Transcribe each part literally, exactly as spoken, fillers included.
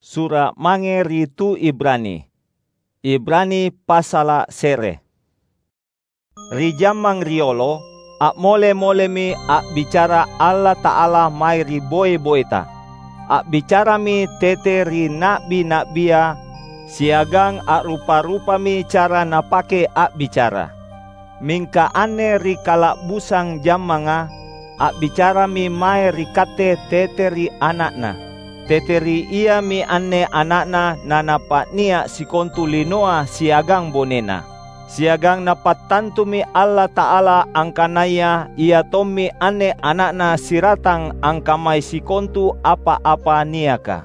Sura' mange ri tu Ibrani. Ibrani passala' se're. Ri jammang riolo, a'mole-molemi a'bicara Allata'ala mae ri boe-boeta. A'bicarami tete ri na'bi-na'bia, siagang a'rupa-rupami cara Napake a'bicara. Mingka anne ri kala'busang jammanga, a'bicarami mae ri katte tete ri Ana'Na. Tete ri Iami anne Ana'Na naNapa'nia' sikontu linoa siagang bonena. Siagang Napattantumi Allata'ala angkanaya Ia tommi anne Ana'Na siratang angkamai sikontu apa-apa niaka.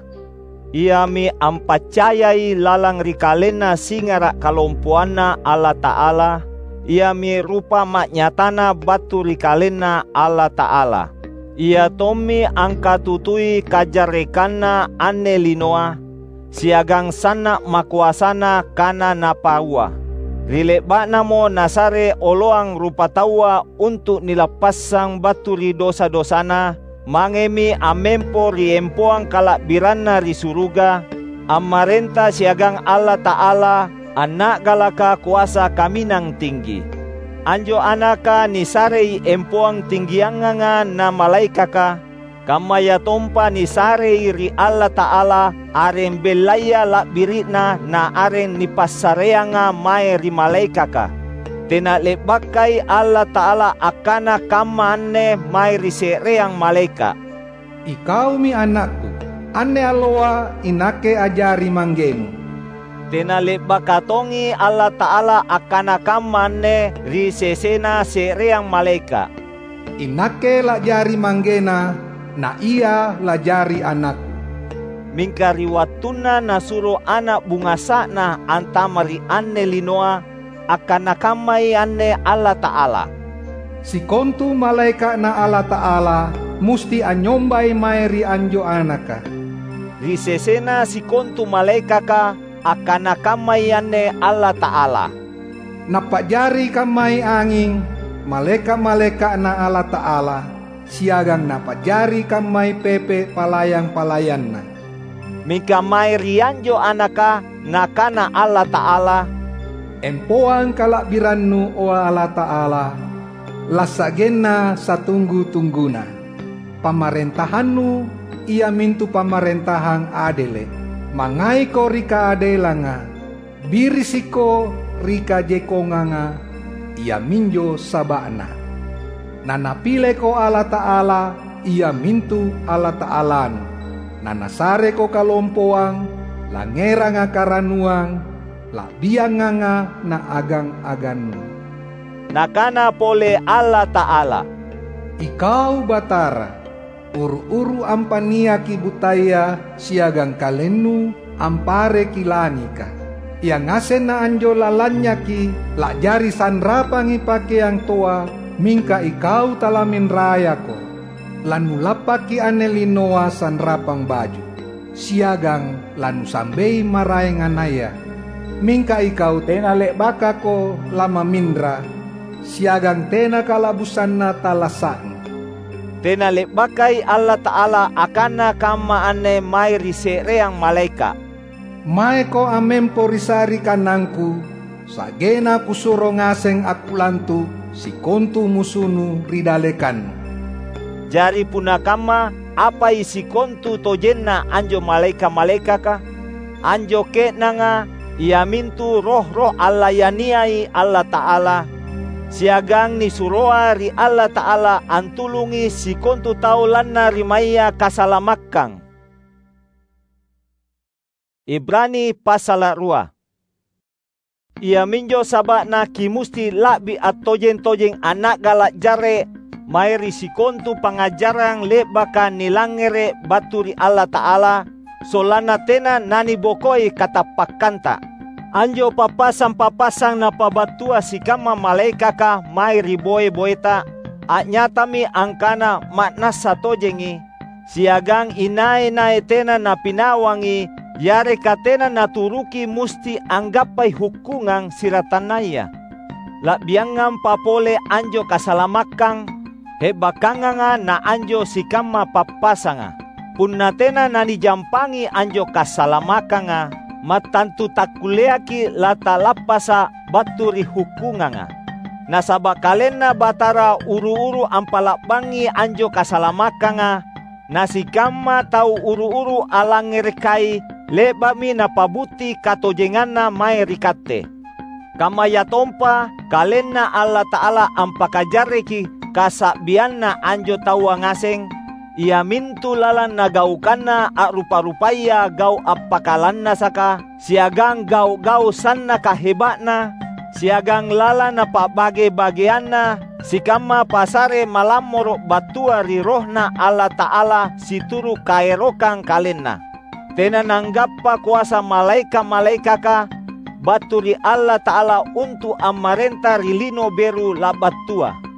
Iami ampaccayai lalang ri KalenNa singara' kalompoanNa Allata'ala, Iami rupa ma'nyatana battu ri KalenNa Allata'ala. Ia tommi angkatutui kajarrekanna anne linoa, siagang sanna' makoasana kana Napaua. Ri le'ba'Namo Nasare oloang rupataua untu' nilappassang battu ri dosa-dosana, mangemi ammempo ri empoang kala'biranNa ri suruga, ammarenta siagang Allata'ala, Anna'galaka Koasa Kaminang Tinggi. Anjo Anaka nisarei empoang tinggianganga na malaekaka, kammayatompa nisarei ri Allata'ala areng bellaya la'biri'na na areng nipassareanga mae ri malaekaka. Tena le'bakai Allata'ala akkana kamma anne mae ri se'reang malaeka', "Ikaumi AnakKu, anne alloa iNakke a'jari ManggeMu." Tena le'baka tongi Allata'ala akkana kamma anne ri sesena se'reang malaeka', "INakke la'jari ManggeNa, na Ia la'jari AnakKu." Mingka ri wattunna Nasuro ana' bungasa'Na antama' ri anne linoa, akkana kammai anne Allata'ala, "Sikontu malaeka'Na Allata'ala musti anynyombai mae ri anjo Anaka." Ri sesena sikontu malaekaka, akkana kammai anne Allata'ala, "Napa'jari kammai anging, malaeka'-malaeka'Na Allata'ala, siagang Napa'jari kammai pepe' palayang-palayanNa." Mingka mae ri anjo Anaka, Nakana Allata'ala, "Empoang kala'biranNu, o Allata'ala, lassa'genna satunggu-tungguna. PamarentahanNu iamintu pamarentahang adele'. Mangaiko ri kaadelanga, birisikko ri kajekkonganga, iaminjo saba'na. Na Napileko Allata'ala, iamintu Allata'alanu. Na Nasareko kalompoang, langngeranga karanuang, la'bianganga na agang-agannu." Nakana pole Allata'ala, "Ikau Batara, uru-uru ampaniaki butaya siagang KalenNu ampareki langika. Ia ngasenna anjo lalanynyaki la'jari sanrapangi pakeang toa, mingka Ikau talaminrayako. Lanulappaki anne linoa sanrapang baju, siagang lanusambei maraenganaya. Mingka Ikau tena le'bakako lamaminra, siagang tena kala'busanna talassa'nu." Tena le'bakai Allata'ala akkana kamma anne mae ri se'reang malaeka', "Maeko ammempo ri sari'kannangKu, sa'genna Kusuro ngaseng akkulantu' sikontu musunu ri dallekannu." Jari punna kamma, apai sikontutojenna anjo malaeka'-malaekaka? Anjo ke'nanga iamintu roh-roh allayaniai Allata'ala, siagang nisuroa ri Allata'ala antulungi sikontu tau lanna ri maea kasalamakkang. Ibrani passala' rua. Iaminjo saba'na kimusti la'bi attojeng-tojeng anna'gala' jarre' mae ri sikontu pangngajarang le'baka nilangngere' battu ri Allata'ala, sollanna tena nanibokoi katappakkanta. Anjo pappasang-pappasang napabattua sikamma malaekaka mae ri boe-boeta, a'nyatami angkana ma'nassa tojengi, siagang inai-nai tena napinawangi yareka tena naturuki musti anggappai hukkungang siratannaya. La'biangampa pole anjo kasalamakkang, he'bakanganga na anjo sikamma pappasanga. Punna tena nanijampangi anjo kasalamakanga, mattantu takkulleaki latalappasa’ battu ri hukkunganga. Nasaba’ KalenNa Batara uru-uru ampa'la'bangi anjo kasalamakanga, na sikamma tau uru-uru alangngerekai le'ba'mi Napabutti katojenganNa mae ri katte. Kammayatompa KalenNa Allata'ala ampakajarreki kasa'bianna anjo taua ngaseng, iamintu lalang nagaukanna a'rupa-rupaya gau’ appakalannasaka, siagang gau’-gau’ sannaka heba'na, siagang lalang napa'bage-bageanna sikamma pasare malammoro’ battua ri RohNa Allata'ala situru’ kaerokang KalenNa. Tena nanggappa koasa malaeka’-malaekaka battu ri Allata'ala untu’ ammarenta ri lino beru la'battua,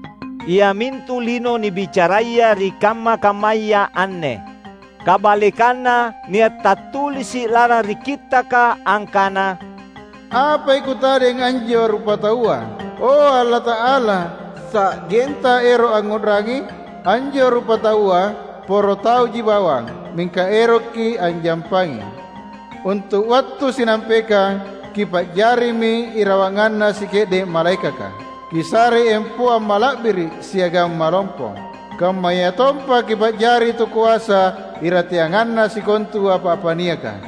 iamintu lino nibicaraya ri kamma-kammaya anne. Kabalekanna, nia’ tattulisi’ lalang ri Kittaka angkana, "Apai kutadeng anjo rupataua, o Allata'ala? Sa'genta ero’ angngu'rangi? Anjo rupataua poro tauji bawang, mingka erokki’ anjampangi. Untu’ wattu sinampekang, kipa'jarimi irawanganna sike'de’ malaekaka. Kisarei empoang mala'biri’ siagang malompo. Kammayatompa kipa'jari tu koasa irateanganna sikontu apa-apa niaka."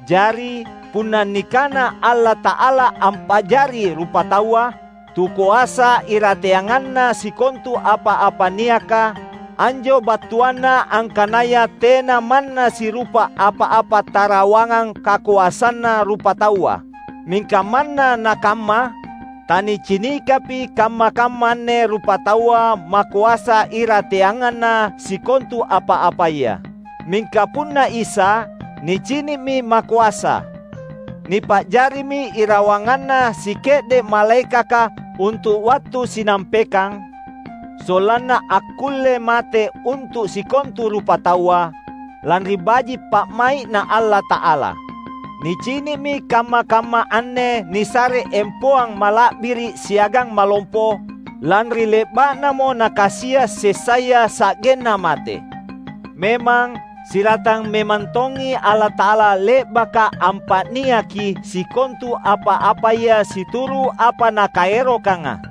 Jari, punna nikana Allata'ala ampa'jari rupataua, tu koasa irateanganna sikontu apa-apa niaka, anjo battuanna angkanaya tena manna sirupa apa-apa tarawangang kakoasanna rupataua. Mingka manna nakamma, tanicinikapi kamma-kamma anne rupataua makoasa irateanganna sikontu apa-apaya. Mingka punna Isa, nicini'mi makoasa. Nipa'jarimi irawanganna sike'de’ malaekaka untu’ wattu sinampekang, sollanna akkulle mate untu’ sikontu rupataua, lanri baji’ pa'mai'Na Allata'ala. Nicini'mi kamma-kamma anne nisare empoang mala'biri’ siagang malompo, lanri le'ba'namo Nakasia’ sessaya sa'genna mate. Memang, siratang memang tongi Allata'ala le'baka ampa'niaki sikontu apa-apaya situru’ apa Nakaerokanga.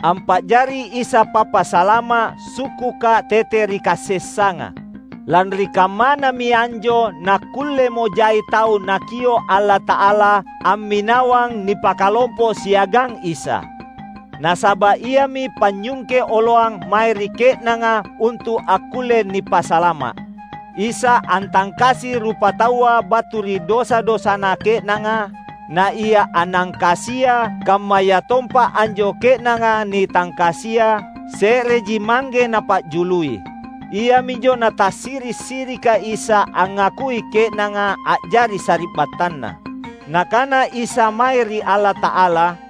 Ampa'jari Isa Pappasalama’ sukkuka tete ri kasessanga. Lanri kammanami anjo nakkullemo jai tau Nakio’ Allata'ala amminawang nipakalompo siagang Isa. Nasaba’ Iami panynyungke oloang mae ri ke'nanga untu’ akkulle nipasalama’. Isa antangkasi rupataua battu ri dosa-dosana ke'nanga, na Ia anangkasia, kammayatompa anjo ke'nanga nitangkasia, se'reji mangge Napa'jului. Iaminjo Natassiri’-sirika Isa angngakui ke'nanga a'jari sari'battanNa. Nakana Isa mae ri Allata'ala,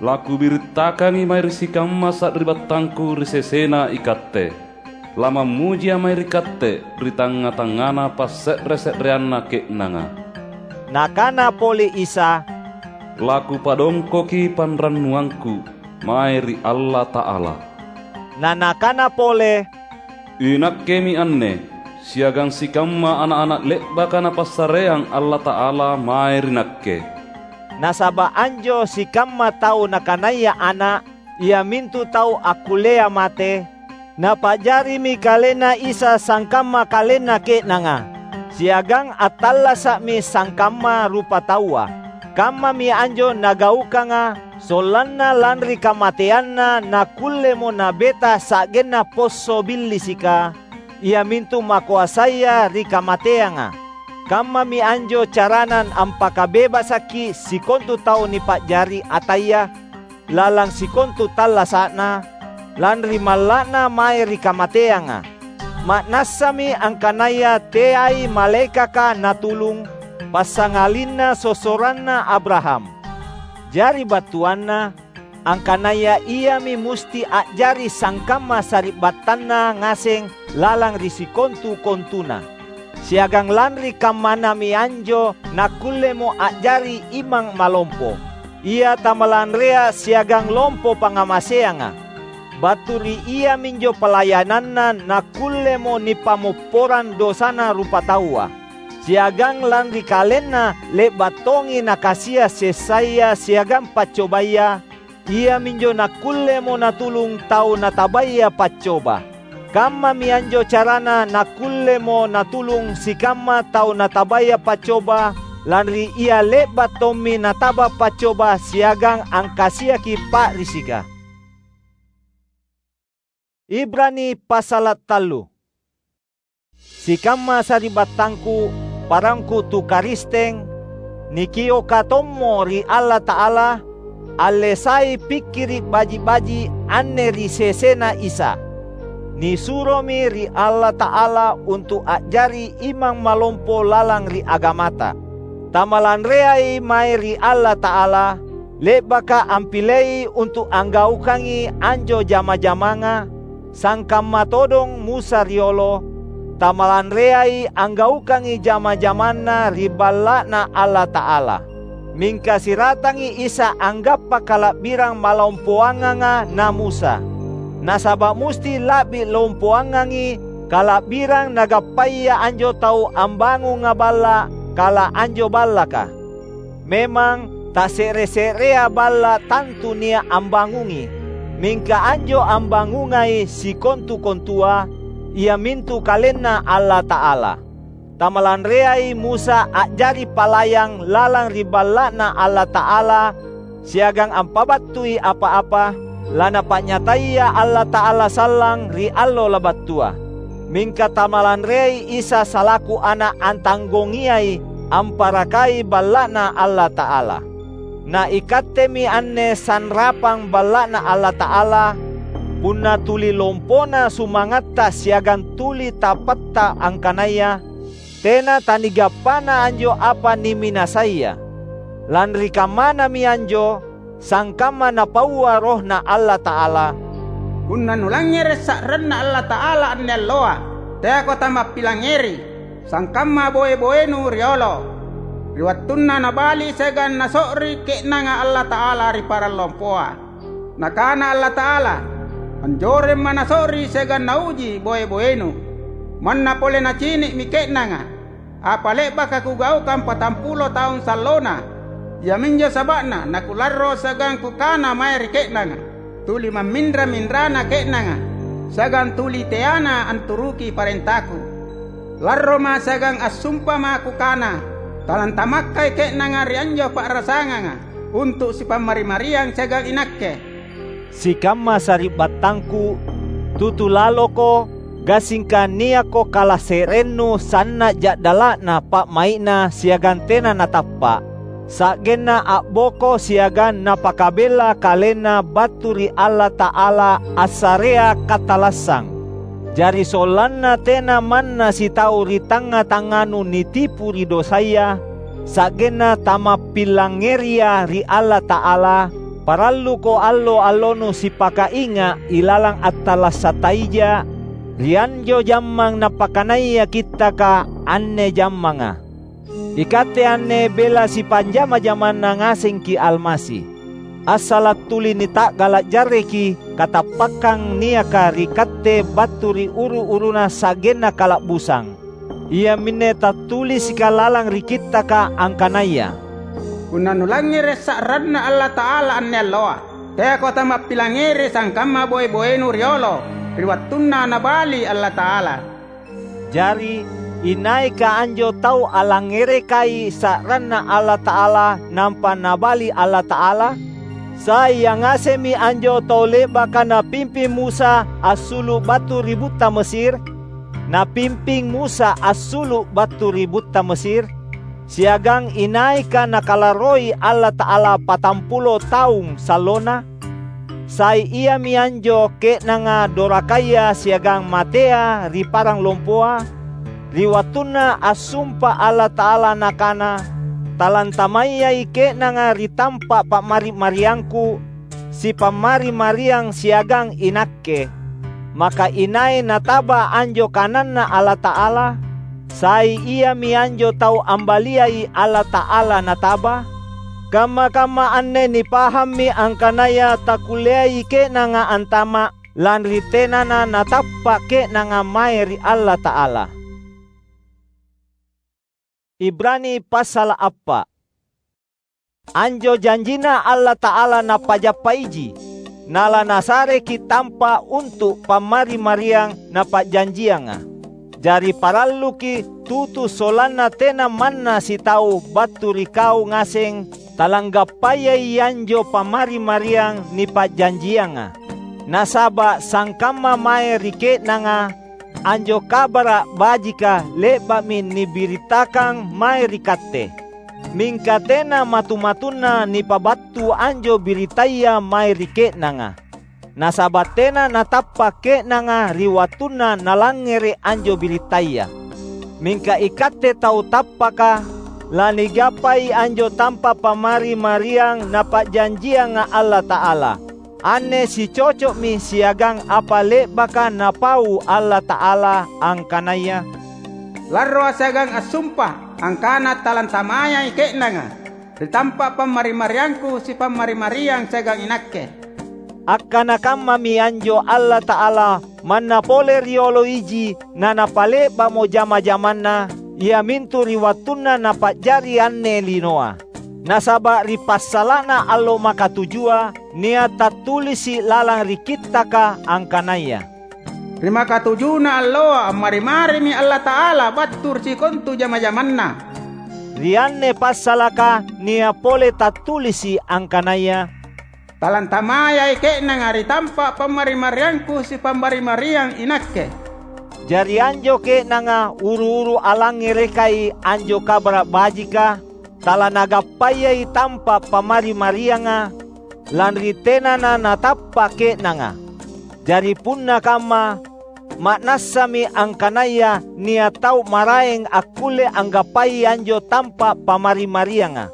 "LakubirittakangI mae ri sikamma sari'battangKu ri sesena ikatte. LamammujiA’ mae ri Katte ri tangnga-tangngana passe're-se'reanna ke'nanga." Nakana pole Isa, "LaKupadongkoki panrannuangKu mae ri Allata'ala." Na Nakana pole, "INakkemi anne, siagang sikamma ana’-ana’ le'baka Napassareang Allata'ala mae ri Nakke." Nasaba’ anjo sikamma tau nakanaya ana’, iamintu tau akkullea mate, Napa'jarimi KalenNa Isa sangkamma kalenna ke'nanga, siagang attallasa'mi sangkamma rupataua. Kammami anjo Nagaukanga, sollanna lanri kamateanNa nakkullemo Nabeta sa'genna posso billisika, iamintu makoasaya ri kamateanga. Kammami anjo carana ampakabebasakki sikontu tau nipa'jari ataya, lalang sikontu tallasa'na, lanri malla'na mae ri kamateanga. Ma'nassami angkanaya teai malaekaka natulung, passangalinna sossoranna Abraham. Jari battuanna, angkanaya iami musti a'jari sangkamma sari'battanna ngaseng lalang ri sikontu-kontuna. Siagang lanri kammanami anjo nakkullemo a'jari imang malompo, ia tamalanrea siagang lompo pangngamaseanga. Battu ri iaminjo palayananna nakkullemo nipammopporang dosana rupataua, siagang lanri kalenna le'ba’ tongi nakasia’ sessaya siagang paccobaya, iaminjo nakkullemo natulung tau natabaya paccoba. Kammami anjo carana nakkullemo natulung sikamma tau natabaya paccoba, lanri ia le'ba’ tommi nataba paccoba siagang angkasiaki pa'risika. Ibrani passala’ tallu. Sikamma sari'battangku, parangku tu Karisteng, nikioka tommo ri Allata'ala, allesai pikkiri’ baji’-baji’ anne ri sesena Isa. Nisuromi ri Allata'ala untu’ a'jari imang malompo lalang ri agamata. Tamalanreai mae ri Allata'ala, le'baka ampilei untu’ anggaukangi anjo jama-jamanga, sangkamma todong Musa riolo, tamalanreai anggaukangi jama-jamanna ri Balla'Na Allata'ala. Mingka siratangi Isa anggappa kala'birang malompoanganga na Musa. Nasaba’ musti la'bi lompoangangi kala'birang nagappaya anjo tau ambangunga balla’ kala anjo ballaka. Memang, tase're-se'rea balla’ tantu nia’ ambangungi, mingka anjo ambangungai sikontu-kontua, iamintu KalenNa Allata'ala. Tamalanreai Musa a'jari palayang lalang ri Balla'Na Allata'ala siagang ampabattui apa-apa, laNapa'nyataya Allata'ala sallang ri allo labattua. Mingka tamalanreai Isa salaku Ana’ antanggongiai amparakai Balla'Na Allata'ala. Na ikattemi anne sanrapang Balla'Na Allata'ala, punna tuli lompona sumangatta siagang tuli tapatta angkanaya, tena tanigappana anjo apa niminasaya. Lanri kammanami anjo, sangkamma Napaua RohNa Allata'ala, "Punna nulangngere’ sa'ranNa Allata'ala anne alloa, teako tamappilangngeri, sangkamma boe-boenu riolo, ri wattunna nabali’ siagang naso'ri ke'nanga Allata'ala ri parang lompoa." Nakana Allata'ala, "Anjoremma naso'ri siagang nauji boe-boenu." Manna pole nacini'mi ke'nanga apa le'baka Kugaukang patampulo taung sallona, iaminjo saba'na naKularro siagang Kukana mae ri ke'nanga, "Tuli mamminra-minrana ke'nanga, siagang tuli teana anturuki parentaKu." Larroma siagang assumpama Kukana, "Talantamakkai ke'nanga ri anjo pa'rasanganga untu’ sipammari-mariang siagang iNakke." Sikamma sari'battangku, tutu laloko, gassingka niakko kalase'rennu sanna’ ja'dala'na pa'mai'na siagang tena natappa’, sa'genna a'boko siagang napakabella kalenna battu ri Allata'ala assarea katalassang. Jari sollanna tena manna sitau ri tangnga-tangnganu nitipu ri dosaya, sa'genna tamappillangngeria ri Allata'ala, paralluko allo-allonu sipakainga’ ilalang attallasa’ taija, ri anjo jammang napakanaya Kittaka anne jammanga. Ikatte anne bela sipanjama-jamanna ngasengki’ Almasi. Assala’ tuli nita'gala’ jarreki katappakkang niaka ri katte battu ri uru-uruna sa'genna kala'busang. Iaminne tattulisika lalang ri Kittaka angkanaya, "Punna nulangngere’ sa'ranNa Allata'ala anne alloa, teako tamappilangngeri sangkamma boe-boenu riolo ri wattunna nabali Allata'ala." Jari, inaika anjo tau allangngerekai sa'ranNa Allata'ala nampa nabali Allata'ala? Sai ia ngasemmi anjo tau le'baka napimping Musa assulu’ battu ri butta Mesir? Napimping Musa assulu’ battu ri butta Mesir, siagang inaika Nakalarroi Allata'ala patampulo taung sallona? Sai iami anjo ke'nanga dorakaya siagang matea ri parang lompoa, ri wattunna assumpa Allata'ala Nakana, "Talantamayyai ke'nanga ri tampa’ pa'mari’-mariangKu, sipammari-mariang siagang iNakke." Maka inai nataba anjo kananNa Allata'ala? Sai iami anjo tau ambaliai Allata'ala nataba? Kamma-kamma anne nipahammi angkanaya takkulleai ke'nanga antama’, lanri tenana natappa’ ke'nanga mae ri Allata'ala. Ibrani passala’ appa’. Anjo janjinNa Allata'ala Napajappaiji, nalaNasareki’ tampa’ untu’ pammari-mariang Napa'janjianga. Jari paralluki’ tutu sollanna tena manna sitau battu ri kau ngaseng talanggappayai anjo pammari-mariang nipa'janjianga. Nasaba’ sangkamma mae ri ke'nanga, anjo Kabara’ Bajika le'ba'mi nibiritakang mae ri katte. Mingka tena matu-matunna nipabattu anjo biritaya mae ri ke'nanga, nasaba’ tena natappa’ ke'nanga ri wattunna nalangngere’ anjo biritaya. Mingka ikatte tau tappaka, lanigappai anjo tampa’ pammari-mariang Napa'janjianga Allata'ala. Anne sicoco'mi siagang apa le'baka Napau Allata'ala angkanaya, "Larroa’ siagang assumpa angkana talantamayai ke'nanga ri tampa’ pammari-mariangKu sipammari-mariang siagang iNakke." Akkana kammami anjo Allata'ala manna pole riolo iji naNapale'ba'mo jama-jamanNa, iamintu ri wattunna Napa'jari anne linoa. Nasaba’ ri passala'na allo makatujua nia’ tattulisi’ lalang ri Kittaka angkanaya, "Ri makatujuna alloa ammari-marimi Allata'ala battu ri sikontu jama-jamanNa." Ri anne passalaka nia’ pole tattulisi’ angkanaya, "Talantamayai ke'nanga ri tampa’ pammari-mariangKu sipammari-mariang iNakke." Jari anjo ke'nanga uru-uru alangngerekai anjo Kabara’ Bajika, talanagappayai tampa’ pammari-marianga, lanri tenana natappa’ ke'nanga. Jari punna kamma, ma'nassami angkanaya nia’ tau maraeng akkulle anggappai anjo tampa’ pammari-marianga.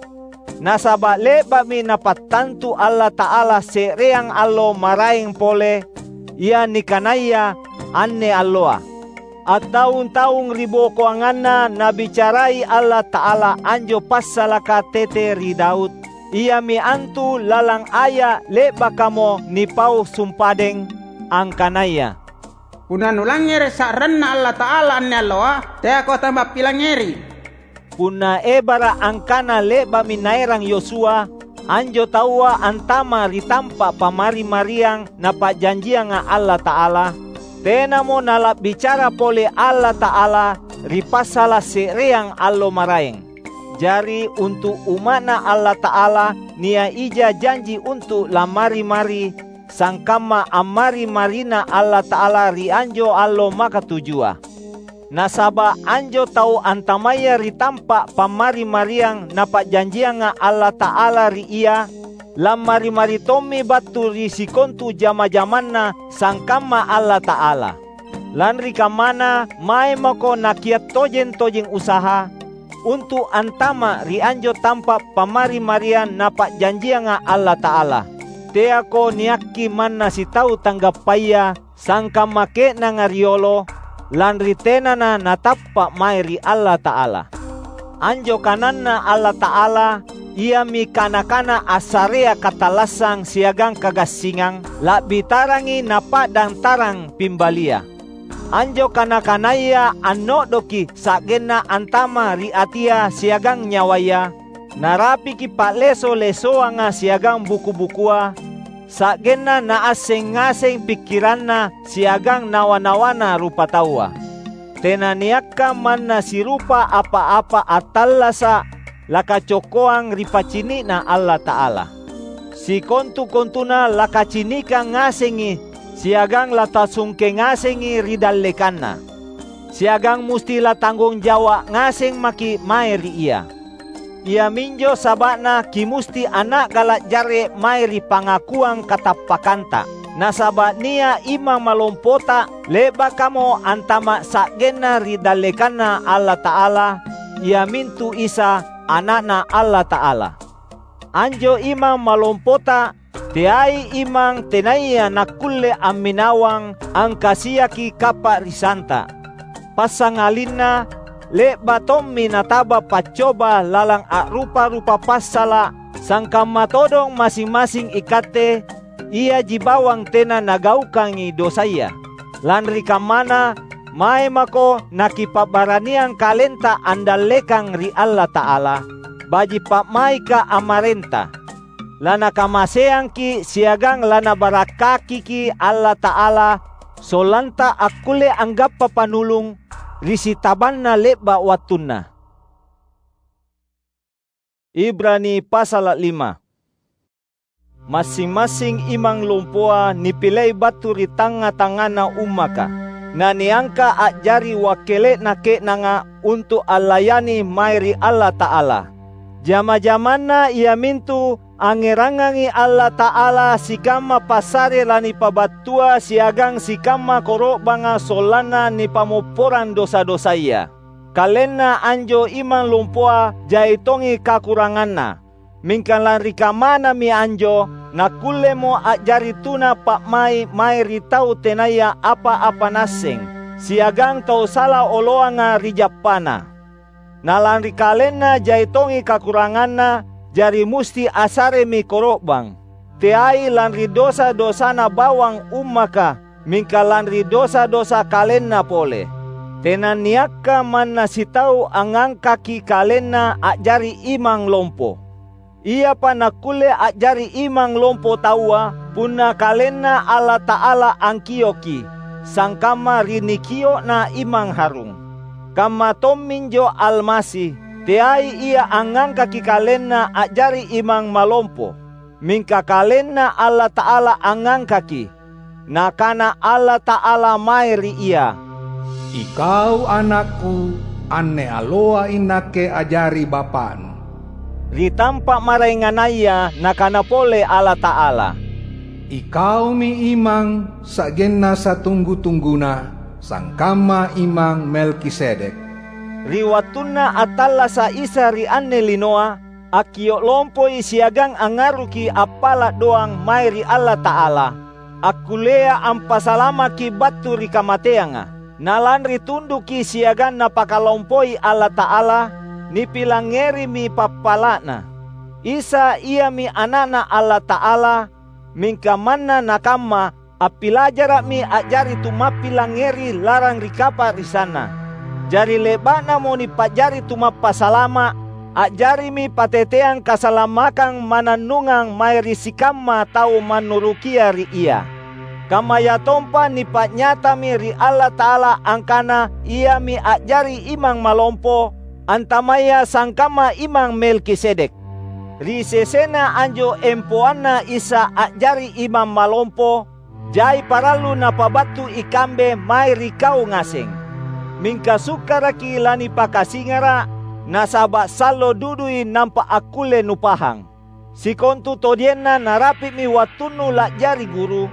Nasaba’ le'ba'mi Napattantu Allata'ala se'reang allo maraeng pole, ia nikanaya anne alloa. Attaung-taung ribokoanganna Nabicarai Allata'ala anjo passalaka tete ri Daud, iami antu lalang aya’ le'bakamo nipau sumpadeng, angkanaya, "Punna nulangngere’ sa'ranNa Allata'ala anne alloa, teako tamappilangngeri." Punna ebara’ angkana le'ba'mi naerang Yosua anjo taua antama’ ri tampa’ pammari-mariang Napa'janjianga Allata'ala, tenamo nala'bicara pole Allata'ala ri passala’ se'reang allo maraeng. Jari, untu’ umma'Na Allata'ala nia’ ija janji untu’ lammari-mari, sangkamma ammari-mariNa Allata'ala ri anjo allo makatujua. Nasaba’ anjo tau antamaya ri tampa’ pammari-mariang Napa'janjianga Allata'ala ri ia, lammari-mari tommi battu ri sikontu jama-jamanNa sangkamma Allata'ala. Lanri kammana, mae mako Nakia’ tojeng-tojeng usaha untu’ antama’ ri anjo tampa’ pammari-mariang Napa'janjianga Allata'ala. Teako niakki manna sitau tanggappaya sangkamma ke'nanga riolo, lanri tenana natappa’ mae ri Allata'ala. Anjo kananNa Allata'ala, iami kana-kana assarea katallassang siagang kagassingang, la'bi tarangi napa'dang tarang pimbalia. Anjo kana-kanaya anno'doki sa'genna antama’ ri atia siagang nyawaya, narapiki pa'leso-lesoanga siagang buku-bukua, sa'genna naasseng ngaseng pikkiranna siagang nawa-nawana rupataua. Tenaniakka manna sirupa apa-apa attallasa’ lakacokkoang ri pacini'Na Allata'ala. Sikontu-kontuna lakacinikang ngasengi siagang latasungke ngasengi ri dallekanNa. Siagang musti latanggung jawa’ ngaseng maki’ mae ri Ia. Iaminjo saba'na kimusti anna'gala’ jarre’ mae ri pangakuang katappakanta. Nasaba’ nia’ imang malompota le'bakamo antama’ sa'genna ri dallekanNa Allata'ala, iamintu Isa, Ana'Na Allata'ala. Anjo imang malompota teai imang tenaya nakkulle amminawang angkasiaki kappa'risanta. Passangalinna, le'ba’ tommi nataba paccoba lalang a'rupa-rupa passala’, sangkamma todong massing-massing ikatte, iaji bawang tena nagaukangi dosaya. Lanri kammana, mae mako nakipa'baraniang kalenta andallekang ri Allata'ala, baji’ pa'maika ammarenta. Lanakamaseangki’ siagang laNabarakkakiki’ Allata'ala, sollanta akkulle anggappa panulung ri sitabanna le'ba’ wattunna. Ibrani pasala’ lima. Massing-massing imang lompoa nipilei battu ri tangnga-tangngana ummaka, naniangka a'jari wakkele'na ke'nanga untu’ allayani mae ri Allata'ala. Jama-jamanna iamintu angngerangangi Allata'ala sikamma passare lanipabattua siagang sikamma koro'banga sollanna nipammopporang dosa-dosaya. Kalenna anjo imang lompoa jai tongi kakuranganna. Mingka lanri kammanami anjo, nakkullemo a'jari tuna pa'mai’ mae ri tau tenaya apa-apa naasseng, siagang tau sala oloanga ri jappana. Na lanri kalenna jai tongi kakuranganna, jari musti assaremi koro'bang, teai lanri dosa-dosana bawang ummaka, mingka lanri dosa-dosa kalenna pole. Tenanniakka manna sitau angngangkaki kalenna a'jari imang lompo. Iapa nakkulle a'jari imang lompo taua, punna KalenNa Allata'ala angkioki, sangkamma ri nikio'na Imang Harung. Kamma tomminjo Almasi, teai Ia angngangkaki KalenNa a'jari imang malompo, mingka KalenNa Allata'ala angngangkaki. Nakana Allata'ala mae ri ia, "Ikau AnakKu, anne alloa iNakke a'jari Bapa'nu." Ri tampa’ maraenganaya Nakana pole Allata'ala, "Ikaumi Imang sa'genna satunggu-tungguna, sangkamma Imang Melkisedek." Ri wattunna attallasa’ Isa ri anne linoa, akkio’ lompoi siagang angngaruki appala’ doang mae ri Allata'ala, akkullea ampasalamakki battu ri kamateanga. Na lanri tunduki siagang Napakalompoi Allata'ala, nipilangngerimi pappala'Na. Isa iami Ana'Na Allata'ala, mingka manna nakamma, appilajara'mi a'jari tumappilangngeri lalang ri kapa'risanNa. Jari le'ba'namo nipa'jari tumappasalama’, a'jarimi pateteang kasalamakkang mannannungang mae ri sikamma tau mannurukia ri Ia. Kammayatompa nipa'nyatami ri Allata'ala angkana Iami a'jari Imang Malompo, antamaya sangkamma Imang Melkisedek. Ri sesena anjo empoanna Isa a'jari Imang Malompo, jai parallu Napabattu ikambe mae ri kau ngaseng. Mingka sukkaraki lanipakasingara’, nasaba’ sallo dudui nampa akkulle nupahang. Sikontutojenna narapi'mi wattunnu la'jari guru,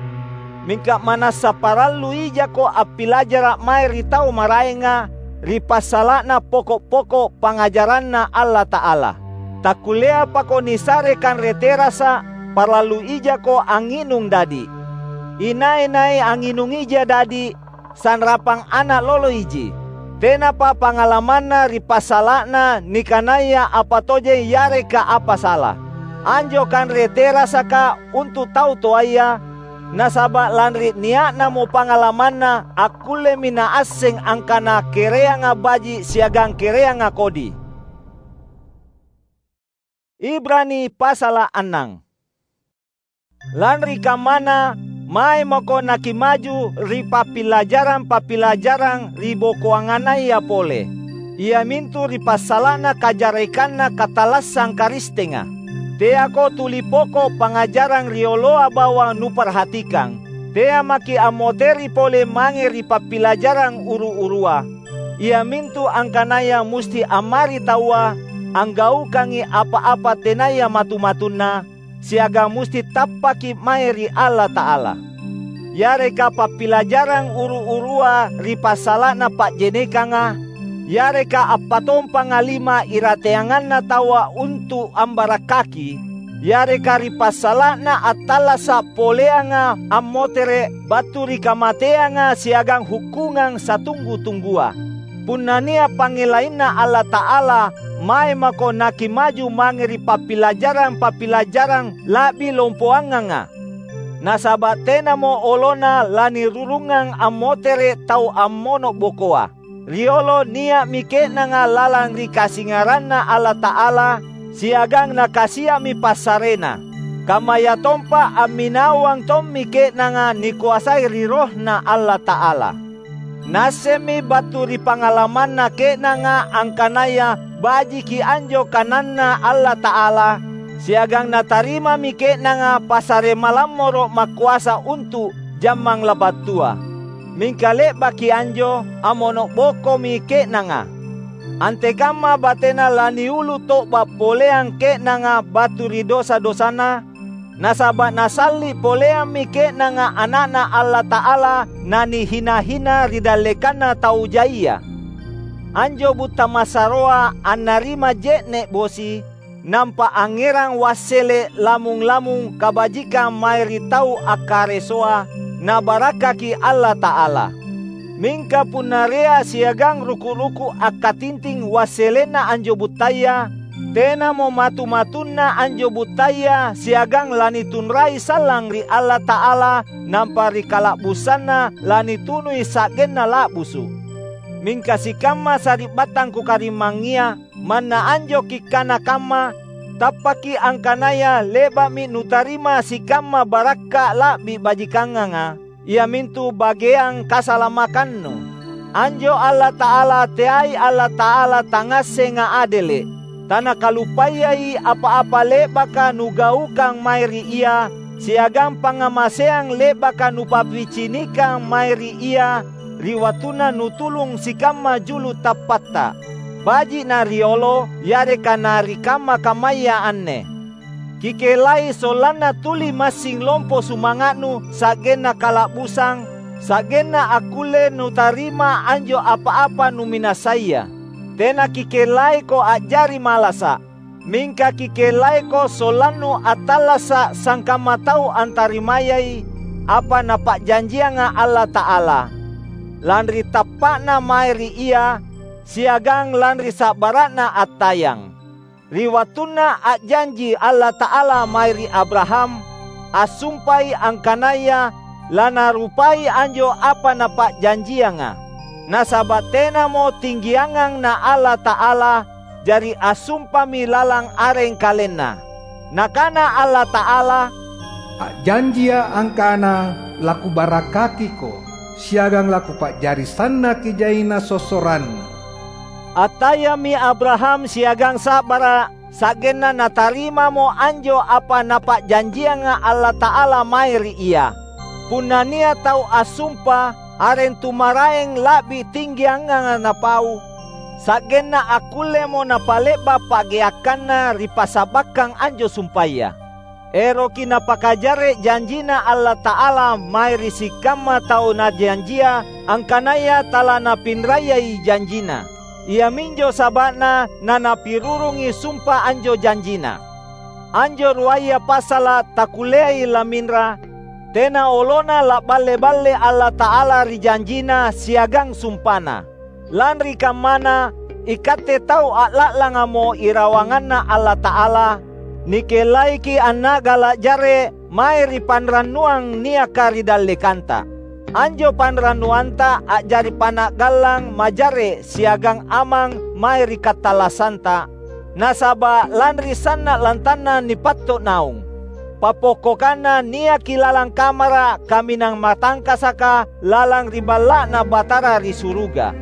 mingka manassa parallu ijako appilajara’ mae ri tau maraenga ri passala'na poko’-poko’ pangngajaranNa Allata'ala. Takkulleapako nisare kanre terasa’, parallu ijako angnginung dadi’. Inai-nai angnginungija dadi’, sanrapang ana’ loloiji. Tenapa pangalamanna ri passala'na nikanaya apa tojeng yareka apa sala. Anjo kanre terasaka untu’ tau toaya, nasaba’ lanri nia'namo pangalamanna akkullemi naasseng angkana kereanga baji’ siagang kereanga kodi. Ibrani pasala’ annang. Lanri kammana, mae mako nakimaju ri pappilajarang-pappilajarang ribokoanganaya pole, iamintu ri passala'na kajarekanna katallassang Karistenga. Teako tuli poko’ pangngajarang rioloa bawang nuparhatikang. Tea maki’ ammotere’ pole mange ri pappilajarang uru-urua, iamintu angkanaya musti ammari taua anggaukangi apa-apa tenaya matu-matunna, siagang musti tappaki’ mae ri Allata'ala. Yareka pappilajarang uru-urua ri passala'na pa'jenekanga, yareka appatompanga lima irateanganna taua untu’ ambarakkaki, yareka ri passala'na attallasa’ poleanga ammotere’ battu ri kamateanga siagang hukkungang satunggu-tunggua. Punna nia’ pangngelainNa Allata'ala, mae mako nakimaju mange ri pappilajarang-pappilajarang la'bi lompoanganga. Nasaba’ tenamo olona lanirurungang ammotere’ tau ammono’ bokoa. Riolo nia'mi ke'nanga lalang ri kasingaranNa Allata'ala, siagang nakasia'mi passareNa. Kammayatompa amminawang tommi ke'nanga nikoasai ri RohNa Allata'ala. Naassemmi battu ri pangalamanna ke'nanga angkanaya bajiki anjo kananNa Allata'ala, siagang natarimami ke'nanga passare malammoro’ makoasa untu’ jammang labattua. Mingka le'baki anjo, ammono’ bokomi ke'nanga. Antekamma batena laniulu to'ba’ poleang ke'nanga battu ri dosa-dosana? Nasaba’ nasalli’ poleammi ke'nanga Ana'Na Allata'ala nanihina-hina ri dallekanna tau jaia. Anjo butta massaroa annarima je'ne’ bosi, nampa angngerang wassele’ lamung-lamung kabajikang mae ri tau akkaresoa, nabarakkaki Allata'ala. Mingka punna rea siagang ruku’-ruku’ akkatinting wasselenna anjo buttaya, tenamo matu-matunna anjo buttaya siagang lanitunrai sallang ri Allata'ala, nampa ri kala'busanNa lanitunui sa'genna la'busu’. Mingka sikamma sari'battang kukarimangngia, manna anjo kikkana kamma, tappaki angkanaya le'ba'mi nutarima sikamma barakka’ la'bi bajikanganga, iamintu bageang kasalamakannu. Anjo Allata'ala teai Allata'ala tangngassenga adele’. TanakalupayaiA’ apa-apa le'baka nugaukang mae ri Ia, siagang pangngamaseang le'baka nupapicinikang mae ri Ia ri wattunna nutulung sikamma julu’ tappatta, baji’ na riolo yareka na ri kamma-kammaya anne. Kikellai sollanna tuli massing lompo sumanga'nu sa'genna kala'busang, sa'genna akkulle nutarima anjo apa-apa numinasaya. Tena kikellaiko a'jari malasa’, mingka kikellaiko sollannu attallasa’ sangkamma tau antarimayai apa Napa'janjianga Allata'ala, lanri tappa'na mae ri Ia siagang lanri sa'bara'na attayang. Ri wattunna a'janji Allata'ala mae ri Abraham, assumpai angkanaya laNarupai anjo apa Napa'janjianga. Nasaba’ tenamo tinggiangang na Allata'ala, jari assumpami lalang areng KalenNa. Nakana Allata'ala, "A'janjiA’ angkana, LaKubarakkakiko, siagang laKupa'jari sannaki jaina sossorannu." Attayammi Abraham siagang sa'bara’, sa'genna natarimamo anjo apa Napa'janjianga Allata'ala mae ri ia. Punna nia’ tau assumpa, areng tu maraeng la'bi tinggianganga napau, sa'genna akkullemo napale'ba’ pa'geakkanna ri passabbakkang anjo sumpaya. Eroki napakajarre’ janjina Allata'ala mae ri sikamma tau Najanjia angkanaya talanapinrayai janjina. Iaminjo saba'na nanapirurungi sumpa anjo janjina. Anjo ruaya passala’ takkulleai laminra, tena olona la'balle-balle Allata'ala ri janjina siagang sumpana. Lanri kammana, ikatte tau a'la'langamo irawanganNa Allata'ala, nikellaiki anna'gala’ jarre’ mae ri panrannuang niaka ri dallekanta. Anjo panrannuanta a'jari pana'gallang majarre’ siagang amang mae ri katallasanta, nasaba’ lanri sanna’ lantanna nipatto’ naung. Pappokkokanna niaki lalang kamara’ kaminang matangkasaka lalang ri Balla'Na Batara ri suruga.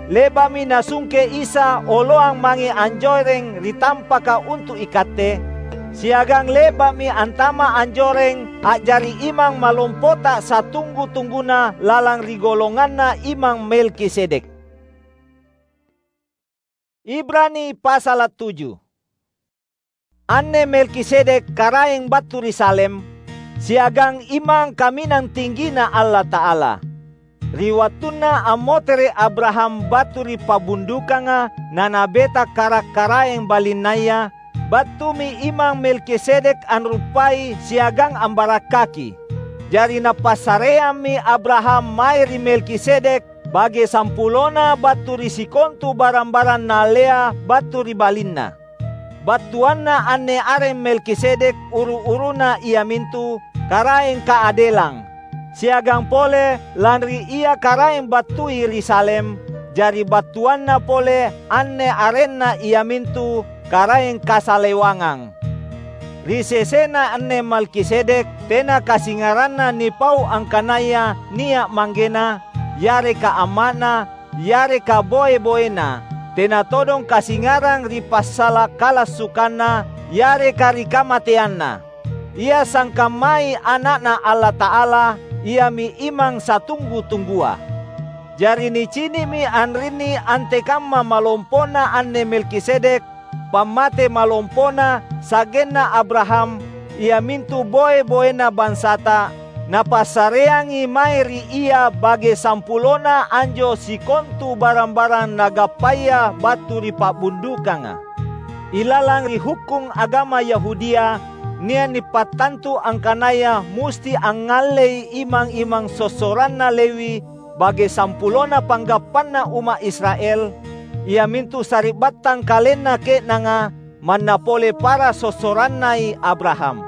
Le'ba'mi Nasungke Isa oloang mange anjoreng ri tampaka untu’ ikatte, siagang le'ba'mi antama’ anjoreng a'jari imang malompota satunggu-tungguna lalang ri golonganna Imang Melkisedek. Ibrani pasala’ tuju. Anne Melkisedek karaeng battu ri Salem, siagang imang kaminang tinggina Allata'ala. Ri wattunna ammotere’ Abraham battu ri pa'bundukanga nanabeta kara’-karaeng balinnaya, battumi Imang Melkisedek anruppai siagang ambarakkaki. Jari napassareammi Abraham mae ri Melkisedek bage sampulona battu ri sikontu barang-barang naallea battu ri balinna. Battuanna anne areng Melkisedek uru-uruna iamintu Karaeng Kaadelang, siagang pole lanri ia Karaeng battui ri Salem, jari battuanna pole anne arenna iamintu Karaeng Kasalewangang. Ri sesena anne Melkisedek tena kasingaranna nipau angkanaya nia’ manggena, yareka amma'na, yareka boe-boena, tena todong kasingarang ri passala’ kalassukanna yareka ri kamateanna. Ia sangkammai Ana'Na Allata'ala, iami Imang Satunggu-tunggua. Jari nicini'mi anrinni antekamma malompona anne Melkisedek, pammate malompona sa'genna Abraham, iamintu boe-boena bansata, napassareangi mae ri ia bage sampulona anjo sikontu barang-barang nagappaya battu ri pa'bundukanga. Ilalang ri hukkung agama Yahudia, nia’ nipattantu angkanaya musti angngallei imang-imang sossoranna Lewi bage sampulona panggappanna umma’ Israel, iamintu sari'battang kalenna ke'nanga manna pole para sossorannai Abraham.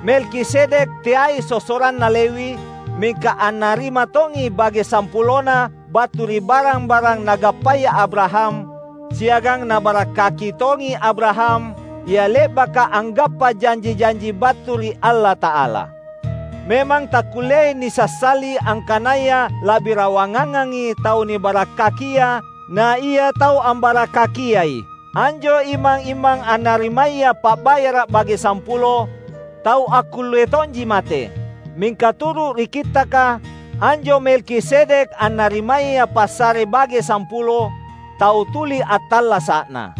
Melkisedek teai sossoranna Lewi, mingka annarima tongi bage sampulona battu ri barang-barang nagappaya Abraham, siagang nabarakkaki tongi Abraham, ia le'baka anggappa janji-janji battu ri Allata'ala. Memang takkulleai nisassali angkanaya la'bi rawangangangi tau nibarakkakia na ia tau ambarakkakiai. Anjo imang-imang annarimaya pa'bayara’ bage sampulo, tau akkullei tonji mate. Mingka turu’ ri Kittaka, anjo Melkisedek annarimaya passare bage sampulo, tau tuli attallasa'na.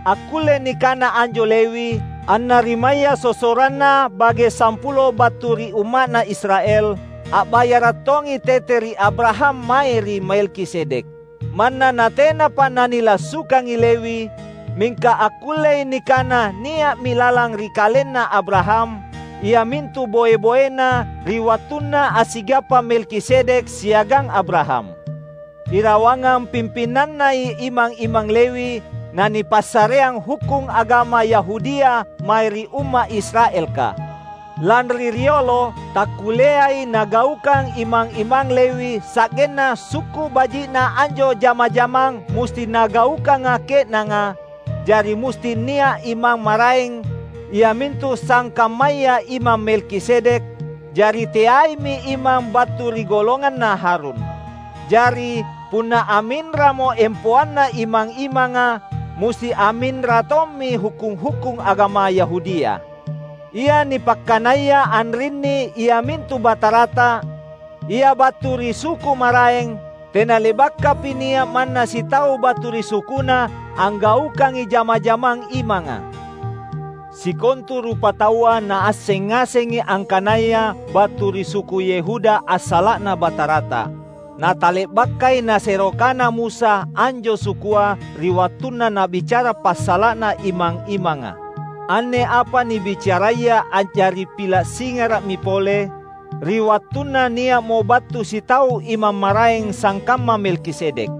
Akkulle nikana anjo Lewi, annarimaya sossoranna bage sampulo battu ri umma'na Israel, a'bayara’ tongi tete ri Abraham mae ri Melkisedek. Manna natenapa nanilassukangi Lewi, mingka akkullei nikana nia'mi lalang ri kalenna Abraham, iamintu boe-boena ri wattunna assigappa Melkisedek siagang Abraham. Irawangang pimpinannai imang-imang Lewi nanipassareang hukkung agama Yahudia mae ri umma’ Israelka. Lanri riolo takkulleai nagaukang imang-imang Lewi sa'genna sukku’ baji'na anjo jama-jamang musti nagaukanga ke'nanga, jari musti nia’ imang maraeng, iamintu sangkammaya Imang Melkisedek, jari teaimi imang battu ri golonganna Harun. Jari, punna aminramo empoanna imang-imanga, musti aminra tommi hukkung-hukkung agama Yahudia. Ia nipakkanaya anrinni iamintu Batarata, ia battu ri suku maraeng, tena le'bakapi nia’ manna sitau battu ri sukuna anggaukangi jama-jamang imanga. Sikontu rupataua naasseng ngasengi angkanaya battu ri suku Yehuda assala'na Batarata. Natale'bakai nasero kana Musa anjo sukua ri wattunna nabicara passala'na imang-imanga. Anne apa nibicaraya a'jari pila’ singara'mi pole, ri wattunna nia'mo battu sitau imang maraeng sangkamma Melkisedek.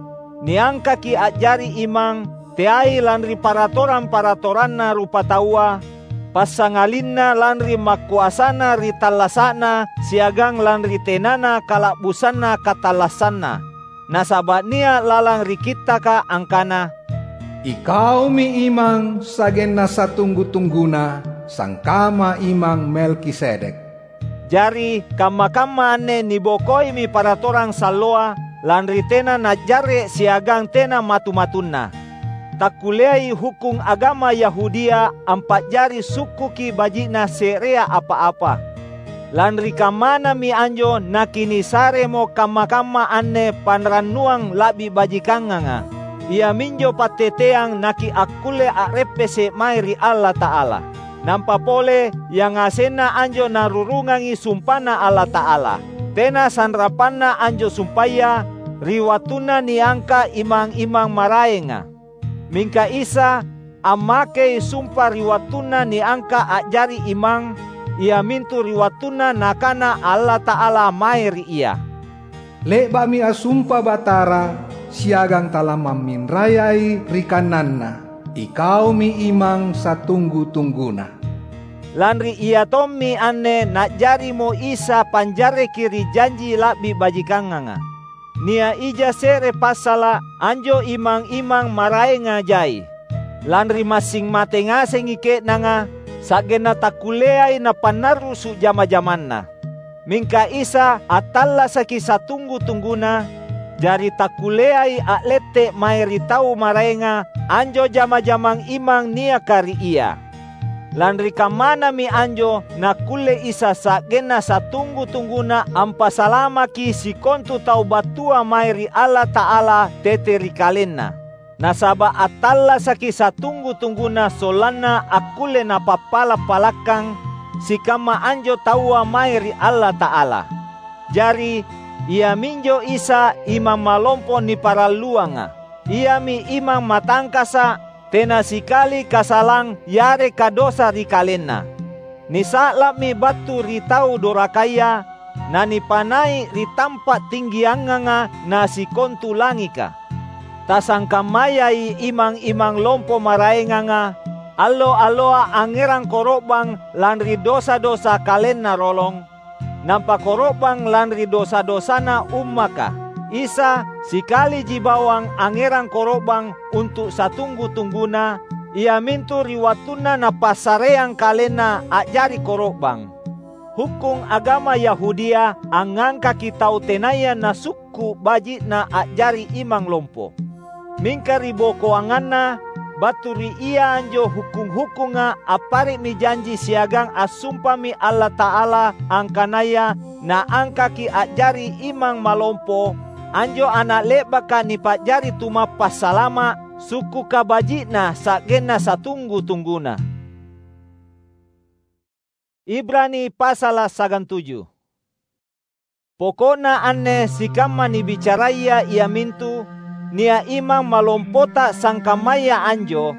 Niangkaki a'jari imang teai lanri paratorang-paratoranna rupataua, passangalinna lanri makoasana ri tallasa'na siagang lanri tenana kala'busanna katallassanna. Nasaba’ nia’ lalang ri Kittaka angkana, "Ikaumi imang sa'genna satunggu-tungguna, sangkamma Imang Melkisedek." Jari, kamma-kamma anne nibokoimi paratorang salloa, lanri tena najarre’ siagang tena matu-matunna. Takkulleai hukkung agama Yahudia ampa'jari sukkuki baji'na se'rea apa-apa. Lanri kammanami anjo nakinisaremo kamma-kamma anne panrannuang la'bi bajikanganga, iaminjo patteteang nakiakkulle a'reppese’ mae ri Allata'ala. Nampa pole, yangasenna anjo narurungangi sumpaNa Allata'ala. Tena sanrapanna anjo sumpaya ri wattunna niangka’ imang-imang maraenga. Mingka Isa ammakei sumpa ri wattunna niangka’ a'jari imang, iamintu ri wattunna Nakana Allata'ala mae ri Ia, "Le'ba'mi assumpa Batara siagang talamamminrayai ri kananNa, 'Ikaumi Imang satunggu-tungguna.'" Lanri Ia tommi anne na'jarimo Isa panjarreki ri janji la'bi bajikanganga. Nia’ ija se're passala’, anjo imang-imang maraenga jai. Lanri massing mate ngasengi ke'nanga, sa'genna takkulleai napannarrusu’ jama-jamanna. Mingka Isa attallasaki satunggu-tungguna, jari takkulleai a'lette’ mae ri tau maraenga anjo jama-jamang imang niaka ri Ia. Lanri kammanami anjo nakkulle Isa sa'genna satunggu-tungguna ampasalamaki sikontu tau battua mae ri Allata'ala tete ri KalenNa. Nasaba’ attallasaki satunggu-tungguna sollanna akkulle napappala’-palakkang sikamma anjo taua mae ri Allata'ala. Jari, iaminjo Isa Imang Malompo niparalluanga. Iami imang matangkasa’, tena sikali kasalang yareka dosa ri kalenna. Nisa'la'mi battu ri tau dorakaya, nanipanai’ ri tampa’ tinggianganga na sikontu langika. Tasangkammayai imang-imang lompo maraenganga, allo-alloa angngerang koro'bang lanri dosa-dosa kalenna rolong, nampa koro'bang lanri dosa-dosana ummaka. Isa sikaliji bawang angngerang koro'bang untu’ satunggu-tungguna, iamintu ri wattunna Napassareang KalenNa a'jari koro'bang. Hukkung agama Yahudia angngangkaki tau tenaya nasukku’ baji'na a'jari imang lompo. Mingka ribokoanganna, battu ri Ia anjo hukkung-hukkunga appare'mi janji siagang assumpami Allata'ala angkanaya Naangkaki a'jari imang malompo anjo ana’ le'baka nipa'jari tumappasalama’ sukkuka baji'na sa'genna satunggu-tungguna. Ibrani pasala’ sagantuju. Poko'na anne sikamma nibicaraya iamintu nia’ imang malompota sangkammaya anjo,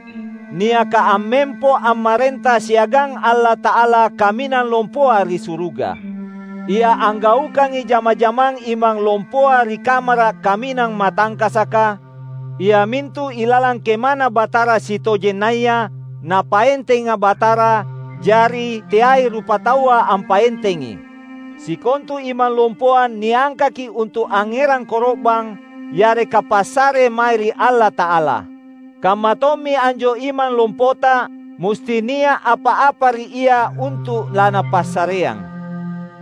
niaka ammempo ammarenta siagang Allata'ala kaminang lompoa ri suruga. Ia anggaukangi jama-jamang imang lompoa ri kamara’ kaminang matangkasaka, iamintu ilalang KemaNa Batara sitojennaya Napaentenga Batara, jari teai rupataua ampaentengi. Sikontu imang lompoa niangkaki untu’ angngerang koro'bang yareka passare mae ri Allata'ala. Kamma tommi anjo imang lompota musti nia’ apa-apa ri ia untu’ lanapassareang.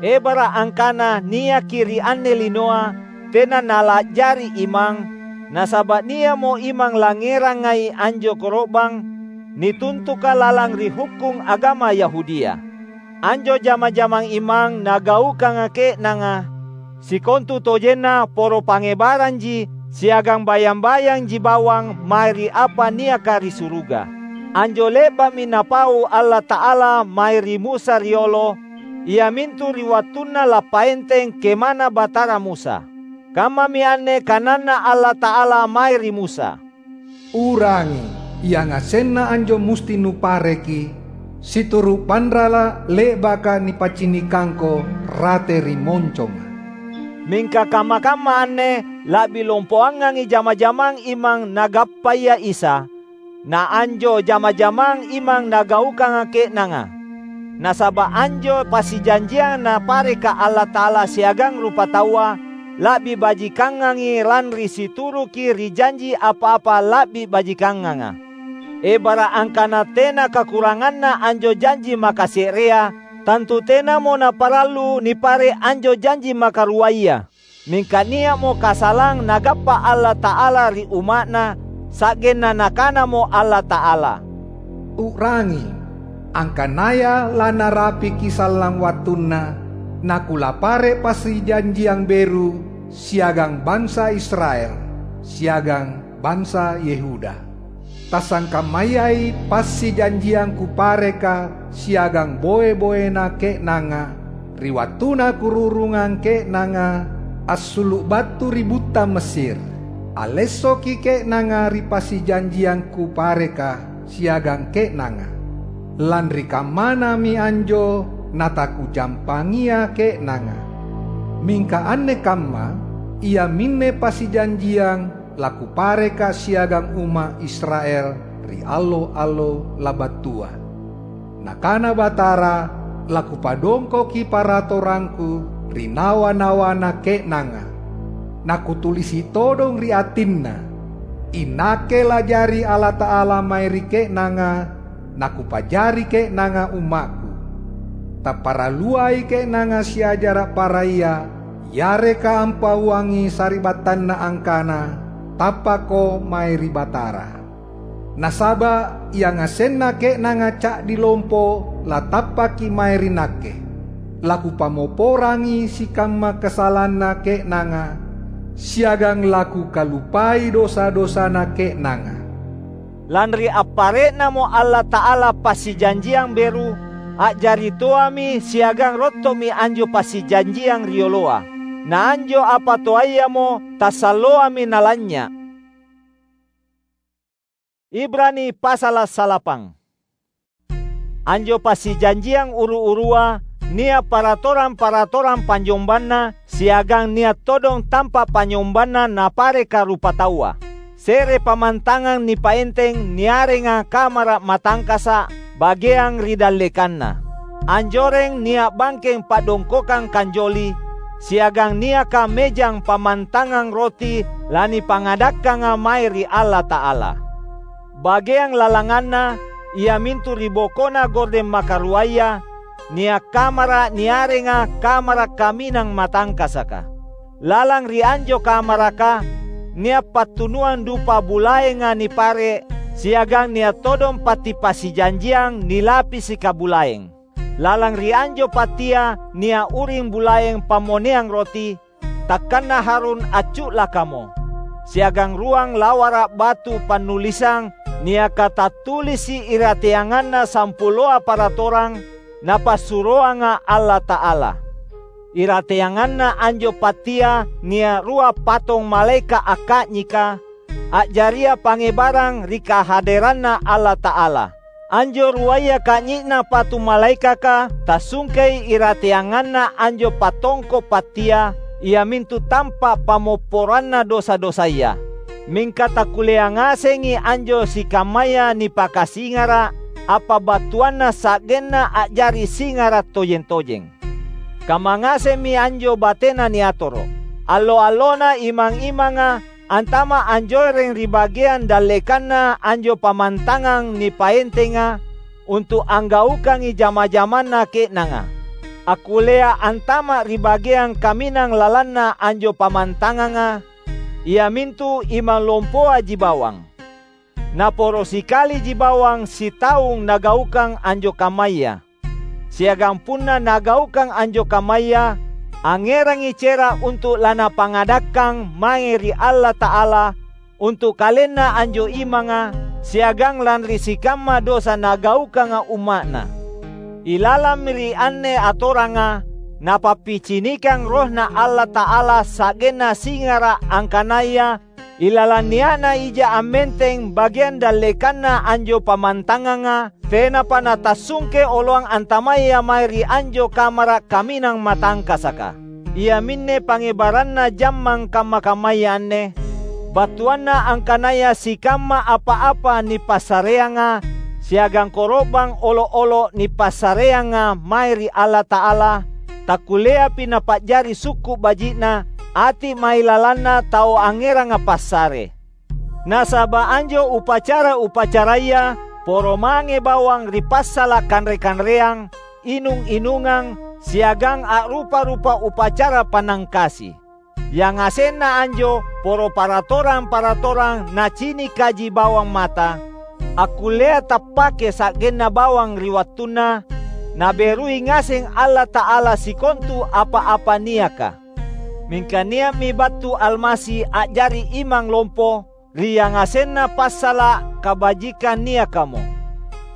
Ebara’ angkana niaki ri anne linoa tena nala'jari imang, nasaba’ nia'mo imang langngerangai anjo koro'bang, nituntuka lalang ri hukkung agama Yahudia. Anjo jama-jamang imang nagaukanga ke'nanga, sikontutojenna poro pangngebaranji siagang bayang-bayangji bawang mae ri apa niaka ri suruga. Anjo le'ba'mi Napau Allata'ala mae ri Musa riolo, iamintu ri wattunna lappaenteng KemaNa Batara Musa. Kammami anne kananNa Allata'ala mae ri Musa, "U'rangi, yangasenna anjo musti nupareki, situru’ panrala’ le'baka nipaccinikangko rate ri monconga." Mingka kamma-kamma anne la'bi lompoangangi jama-jamang imang nagappaya Isa, na anjo jama-jamang imang nagaukanga ke'nanga. Nasaba’ anjo passijanjiang Napareka Allata'ala siagang rupataua, la'bi bajikangangi lanri situruki ri janji apa-apa la'bi bajikanganga. Ebara’ angkana tena kakuranganna anjo janji makase'rea, tantu tenamo naparallu nipare’ anjo janji makaruaya. Mingka nia'mo kasalang Nagappa Allata'ala ri umma'Na, sa'genna Nakanamo Allata'ala, "U'rangi, angkanaya lanarapiki sallang wattunna, naKulapare’ passijanjiang beru siagang bansa Israel, siagang bansa Yehuda. Tasangkammayai passijanjiang Kupareka siagang boe-boena ke'nanga, ri wattuna Kururungang ke'nanga assulu’ battu ri butta Mesir. Allessoki ke'nanga ri passijanjiang Kupareka siagang ke'nanga. Lanri kammanami anjo nataKujampangia ke'nanga. Mingka anne kamma iaminne passijanjiang laKupareka siagang umma’ Israel ri allo-allo labattua." Nakana Batara, "Lakupadongkoki paratorangKu ri nawa-nawana ke'nanga. Nakutulisi' todong ri atinna. INakke lajari Allata'ala mae ri ke'nanga, naKupajari ke'nanga umma'Ku. Tapparalluai ke'nanga siajara' paraya yareka ampauangi sari'battanna angkana, 'Tappakko mae ri Batara.' Nasaba' yangasenna ke'nanga ca'di lompo latappaki mae ri Nakke. Lakupammoporangi sikamma kasalanna ke'nanga, siagang laKukalupai dosa-dosana ke'nanga." Lanri appare'namo Allata'ala passijanjiang beru, a'jari toami siagang rotto'mi anjo passijanjiang rioloa. Na anjo apa toayamo tassalloami nalanynya'. Ibrani pasala' salapang. Anjo passijanjiang uru-urua nia' paratorang-paratorang panynyombanna siagang nia' todong tampa' panynyombanna napareka rupataua. Se're pammantangang nipaenteng niarenga kamara' matangkasa' bageang ri dallekanna. Anjoreng nia' bangkeng pa'dongkokang kanjoli, siagang niaka mejang pammantangang roti lanipangadakkanga mae ri Allata'ala. Bageang lalanganna, iamintu ri bokona gordeng makaruaya, nia' kamara' niarenga Kamara' Kaminang Matangkasaka. Lalang ri anjo kamaraka, nia' pattunuang dupa bulaenga nipare', siagang nia' todong patti passijanjiang nilapisi kabulaeng. Lalang ri anjo pattia nia' uring bulaeng pammoneang roti, takkanna Harun accu'lakamo, siagang ruang lawara' batu pannulisang niaka tattulisi' irateanganna sampuloa paratorang Napassuroanga Allata'ala. Irateanganna anjo pattia nia' rua patong malaeka' akka'nyika, a'jaria pangngebarang ri kahaderanNa Allata'ala. Anjo ruaya ka'nyi'na patu malaekaka tassungkei irateanganna anjo patongko' pattia, iamintu tampa' pammopporanna dosa-dosaya. Mingka takkulleang ngasengi anjo sikammaya nipakasingara' apa battuanna sa'genna a'jari singara' tojeng-tojeng. Kamma ngasemmi anjo batena niatoro'. Allo-allona imang-imanga antama' anjoreng ri bageang dallekanna anjo pammantangang nipaentenga untu' anggaukangi jama-jamanna ke'nanga. Akkullea antama' ri bageang kaminang lalanna anjo pammantanganga, iamintu imang lompoaji bawang. Naporo sikaliji bawang sitaung nagaukang anjo kammaya. Siagang punna nagaukang anjo kammaya, angngerangi cera' untu' lanapangadakkang mange ri Allata'ala untu' kalenna anjo imanga siagang lanri sikamma dosa nagaukanga umma'Na. Ilalammi ri anne atoranga, Napappicinikang RohNa Allata'ala sa'genna singara' angkanaya ilalang nia'na ija ammenteng bageang dallekanna anjo pammantanganga, tenapa natassungke oloang antamaya mae ri anjo kamara' kaminang matangkasaka. Iaminne pangngebaranna jammang kamma-kammaya anne, battuanna angkanaya sikamma apa-apa nipassareanga siagang koro'bang olo'-olo' nipassareanga mae ri Allata'ala, takkulleapi napa'jari sukku' baji'na ati' mailalanna tau angngeranga passare. Nasaba' anjo upacara-upacaraya poro mange bawang ri passala' kanre-kanreang, inung-inungang, siagang a'rupa-rupa upacara pannangkasi. Yangasenna anjo poro paratorang-paratorang nacinikaji bawang mata, akkullea tappake sa'genna bawang ri wattunna Naberui ngaseng Allata'ala sikontu apa-apa niaka. Mingka nia'mi battu Almasi a'jari imang lompo ri yangasenna passala' kabajikang niakamo.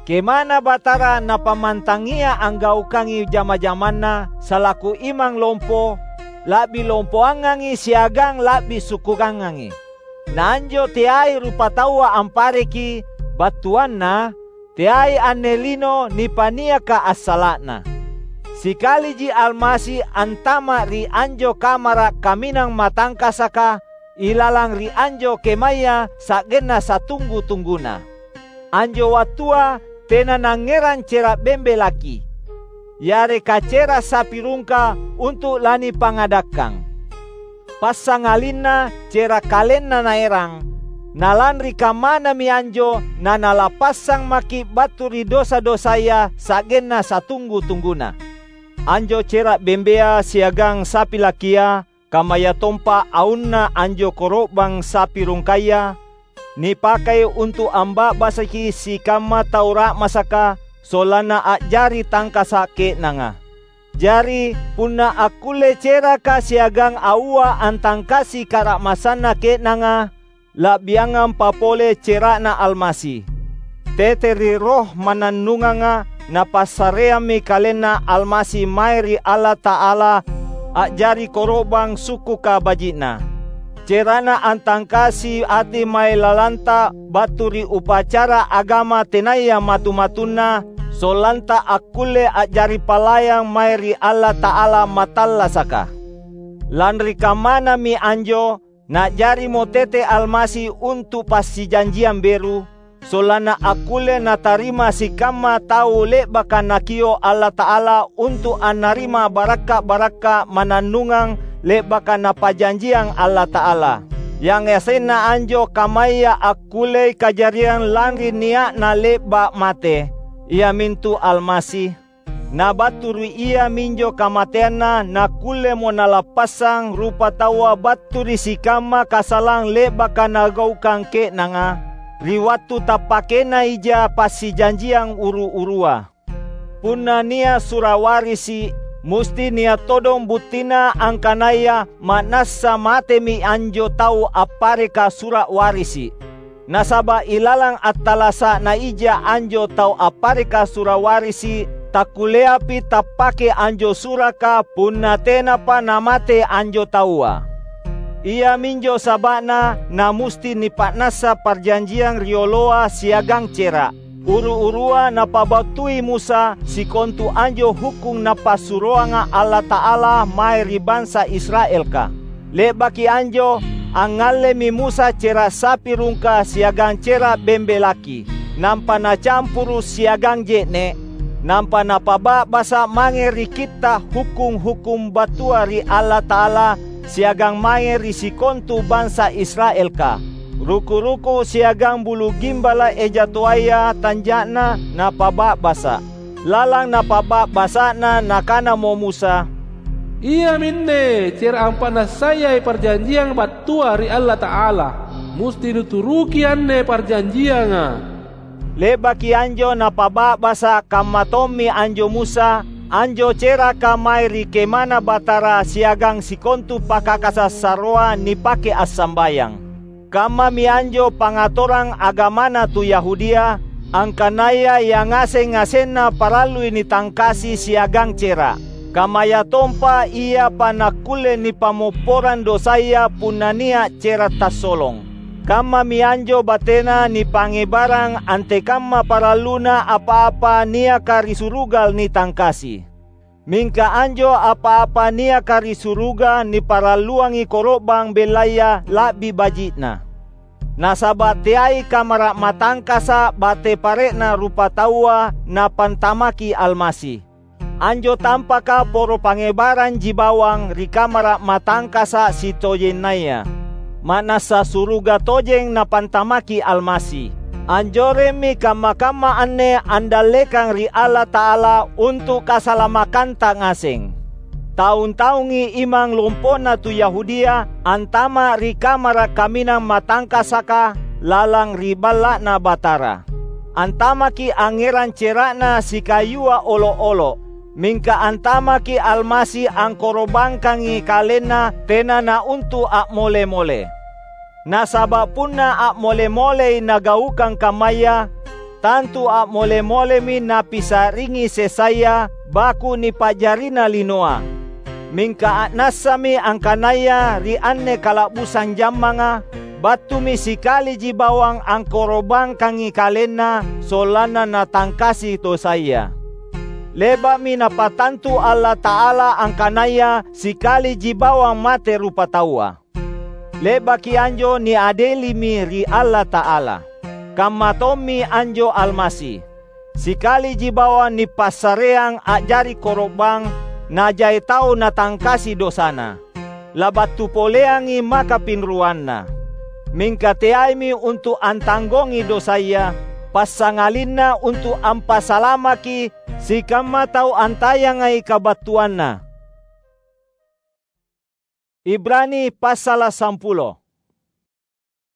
KemaNa Batara Napammantangia anggaukangi jama-jamanNa salaku imang lompo, la'bi lompoangangi siagang la'bi sukkukangangi. Na anjo teai rupataua ampareki, battuanna teai anne lino nipaniaka assala'na. Sikaliji Almasi antama' ri anjo kamara' kaminang matangkasaka ilalang ri anjo kemaya sa'genna satunggu-tungguna. Anjo wattua tena nangngerang cera' bembe laki, yareka cera' sapi rungka untu' lanipangadakkang. Passangalinna cera' kalenna naerang, na lanri kammanami anjo nanalappassang maki' battu ri dosa-dosaya sa'genna satunggu-tungguna. Anjo cera' bembea siagang sapi lakia, kammayatompa aunna anjo koro'bang sapi rungkaya, nipakai untu' amba'basaki sikamma tau ra'masaka sollanna a'jari tangkasa' ke'nanga. Jari, punna akkullei ceraka siagang aua antangkasi kara'masanna ke'nanga, la'biangampa pole cera'Na Almasi. Tete ri Roh mannannunganga Napassareammi KalenNa Almasi mae ri Allata'ala a'jari koro'bang sukkuka baji'Na. Cerana antangkasi ati mae lalanta battu ri upacara agama tenaya matu-matunna, sollanta akkulle a'jari palayang mae ri Allata'ala mattallasaka. Lanri kammanami anjo, na'jarimo tete Almasi untu' passijanjiang beru, sollanna akkulle natarima sikamma tau le'baka Nakio' Allata'ala untu' annarima barakka'-barakka' mannannungang le'baka Napajanjiang Allata'ala. Yangasenna anjo kammaya akkullei kajariang lanri nia'na le'ba' mate, iamintu Almasi. Na battu ri iaminjo kamateanNa nakkullemo nalappassang rupataua battu ri sikamma kasalang le'baka nagaukang ke'nanga, ri wattu tappakenaija passijanjiang uru-urua. Punna nia' sura' warisi', musti nia' todong buttina angkanaya ma'nassa matemi anjo tau appareka sura' warisi'. Nasaba' ilalang attalasa' naija anjo tau appareka sura' warisi', takkulleapi tappake anjo suraka punna tenapa namate anjo taua. Iaminjo saba'na namusti nipa'nassa parjanjiang rioloa siagang cera'. Uru-urua napabattui Musa sikontu anjo hukkung Napassuroanga Allata'ala mae ri bansa Israelka. Le'baki anjo, angngallemi Musa cera' sapi rungka siagang cera' bembe laki, nampa nacampuru' siagang je'ne', nampa napaba'basa' mange ri Kitta' hukkung-hukkung battua ri Allata'ala siagang mange ri sikontu bansa Israelka. Ruku-ruku siagang bulu gimbala' eja toaya tanja'na napaba'basa'. Lalang napaba'basa'na nakanamo Musa, "Iaminne cera' ampa'nassayai parjanjiang battua ri Allata'ala. Musti nuturuki anne parjanjianga." Le'baki anjo napaba'basa' kamma tommi anjo Musa, anjo ceraka mae ri Kemana Batara siagang sikontu pakakasassaroa nipake assambayang. Kammami anjo pangatorang agamana tu Yahudia, angkanaya yangaseng-ngasenna parallui nitangkasi siagang cera'. Kammayatompa iapa nakkulle nipammopporang dosaya punna nia' cera' tassolong. Kammami anjo batena nipangngebarang antekamma paralluna apa-apa niaka ri suruga nitangkasi. Mingka anjo apa-apa niaka ri suruga niparalluangi koro'bang bellaya la'bi baji'na. Nasaba' teai kamara' matangkasa' bate pare'na rupataua Napantamaki Almasi. Anjo tampaka poro pangngebaranji bawang ri kamara' matangkasa' sitojennaya, ma'nassa suruga tojeng Napantamaki Almasi. Anjoremmi kamma-kamma anne andallekang ri Allata'ala untu' kasalamakanta ngaseng. Taung-taungi imang lompo'na tu Yahudia antama' ri kamara' kaminang matangkasaka lalang ri Balla'Na Batara. Antamaki angngerang cera'na sikayua olo'-olo', mingka antamaki Almasi angkoro'bangkangi KalenNa tena nauntu' a'mole-mole. Nasaba' punna a'mole-molei nagaukang kammaya, tantu a'mole-molemi napisa'ringi sessaya baku nipa'jarina linoa. Mingka a'nassami angkanaya ri anne kala'busang jammanga, battumi sikaliji bawang angkoro'bangkangi KalenNa sollanna natangkasi dosaya. Le'ba'mi Napatantu Allata'ala angkanaya sikaliji bawang mate rupataua. Le'baki anjo niadelimi ri Allata'ala. Kamma tommi anjo Almasi. sikaliji bawang nipassareang a'jari koro'bang, najai tau natangkasi dosana. Labattu poleangi maka pinruanna. Mingka teaimi untu’ antanggongi dosaya, passangalinna untu’ ampasalamaki sikamma tau antayangai kabattuanna. Ibrani passala’ sampulo.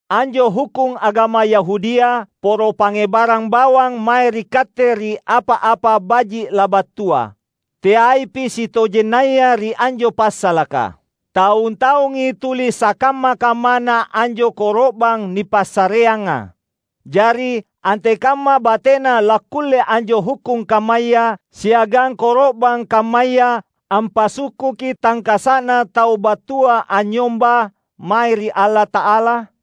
Anjo hukkung agama Yahudia poro pangngebarang bawang mae ri katte ri apa-apa baji’ labattua. Teaipi sitojennaya ri anjo passalaka. Taung-taungi tuli sakamma-kammana anjo koro'bang nipassareanga. Jari, antekamma batena lakkulle anjo hukkung kammaya siagang koro'bang kammaya ampasukkuki tangkasa'na tau battua anynyomba mae ri Allata'ala?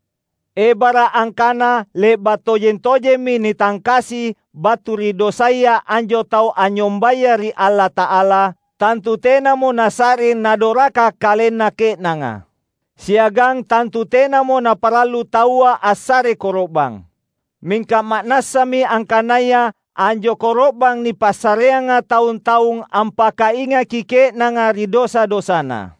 Ebara’ angkana le'ba’ tojeng-tojemmi nitangkasi battu ri dosaya anjo tau anynyombaya ri Allata'ala, tantu tenamo nasa'ring nadoraka kalenna ke'nanga. Siagang tantu tenamo naparallu taua assare koro'bang. Mingka ma'nassami angkanaya anjo koro'bang nipassareanga taung-taung ampakaingaki ke'nanga ri dosa-dosana.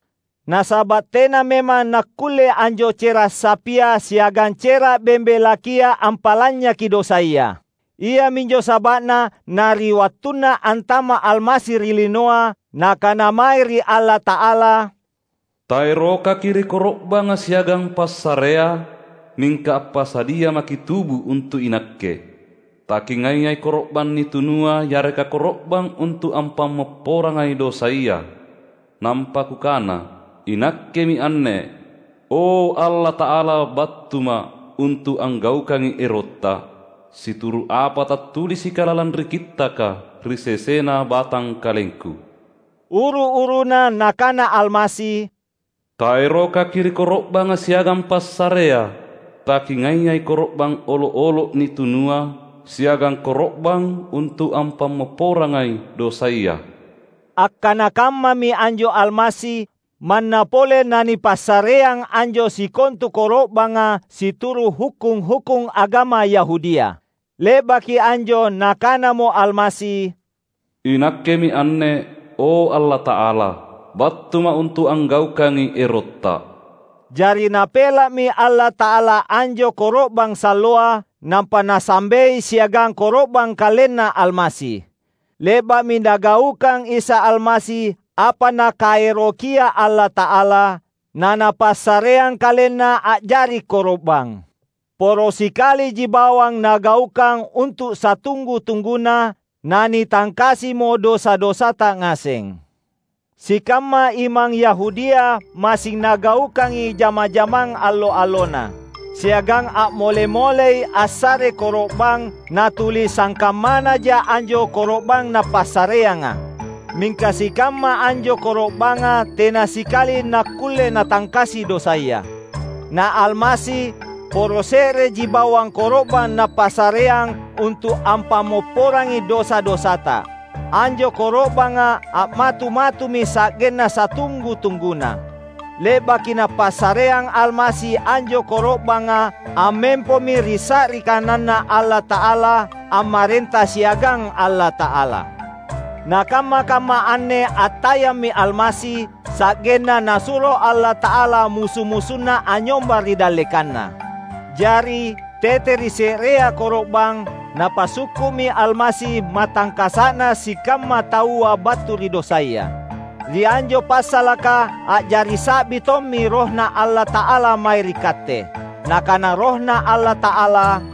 Nasaba’ tena memang nakkulle anjo cera’ sapia siagang cera’ bembe lakia ampalanynyaki dosaya. Iaminjo saba'na na ri wattunna antama’ Almasi ri linoa, Nakana mae ri Allata'ala, "Taerokaki ri koro'banga siagang passarea, mingka appasadia maki’ tubu untu’ inakke. Takingaai koro'bang nitunua yareka koro'bang untu’ ampammopporangai dosaya." Nampa kukana, "Inakkemi anne, o Allata'ala, battuma’ untu’ anggaukangi erotta, situru’ apa tattulisika lalang ri Kittaka ri sesena batangkalengku." Uru-uruna Nakana Almasi, "Taerokaki ri koro'banga siagang passarea, takingaai koro'bang olo’-olo’ nitunua siagang koro'bang untu’ ampammopporangai dosaya." Akkana kammami anjo Almasi, manna pole nanipassareang anjo sikontu koro'banga situru’ hukkung-hukkung agama Yahudia. Le'baki anjo Nakanamo Almasi, "Inakkemi anne, o Allata'ala, battuma’ untu’ anggaukangi erotta." Jari Napela'mi Allata'ala anjo koro'bang salloa, nampa Nasambei siagang koro'bang KalenNa Almasi. Le'ba'mi Nagaukang Isa Almasi apa Nakaerokia Allata'ala, na Napassareang KalenNa a'jari koro'bang. Poro sikaliji bawang Nagaukang untu’ satunggu-tungguna, nanitangkasimo dosa-dosata ngaseng. Sikamma imang Yahudia massing nagaukangi jama-jamang allo-allona, siagang a'mole-molei assare koro'bang natuli sangkammanaja anjo koro'bang Napassareanga. Mingka sikamma anjo koro'banga tena sikali nakkulle natangkasi dosaya. Na Almasi poro se'reji bawang koro'bang Napassareang untu’ ampammopporangi dosa-dosata. Anjo koro'banga a'matu-matumi sa'genna satunggu-tungguna. Le'baki Napassareang Almasi anjo koro'banga, ammempomi ri sa'ri kananNa Allata'ala, ammarenta siagang Allata'ala. Nakamma-kamma anne attayammi Almasi, sa'genna Nasuro Allata'ala musu-musunna anynyomba ri dallekanNa. Jari, tete ri se'rea koro'bang, Napasukku'mi Almasi matangkasa'na sikamma taua battu ri dosaya. Ri anjo passalaka a'jari sa'bi tommi RohNa Allata'ala mae ri katte. Nakana RohNa Allata'ala,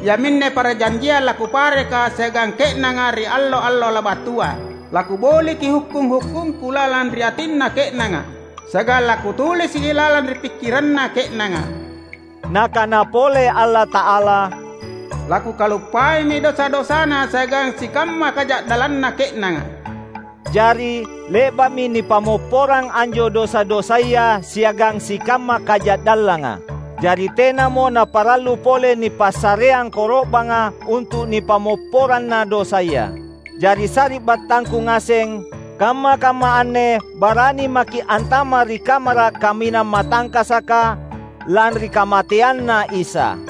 "Iaminne parajanjiang laKupareka siagang ke'nanga ri allo-allo labattua. LaKuboliki hukkung-hukkungKu lalang ri atinna ke'nanga, siagang laKutulisi’ lalang ri pikkiranna ke'nanga." Nakana pole Allata'ala, "LaKukaluppaimi dosa-dosana siagang sikamma kaja'dallanna ke'nanga." Jari, le'ba'mi nipammopporang anjo dosa-dosaya siagang sikamma kaja'dallanga. Jari, tenamo naparallu pole nipassareang koro'banga untu’ nipammopporanna dosaya. Jari, sari'battangku ngaseng, kamma-kamma anne barani maki’ antama’ ri kamara’ kaminang matangkasaka lanri kamateanNa Isa.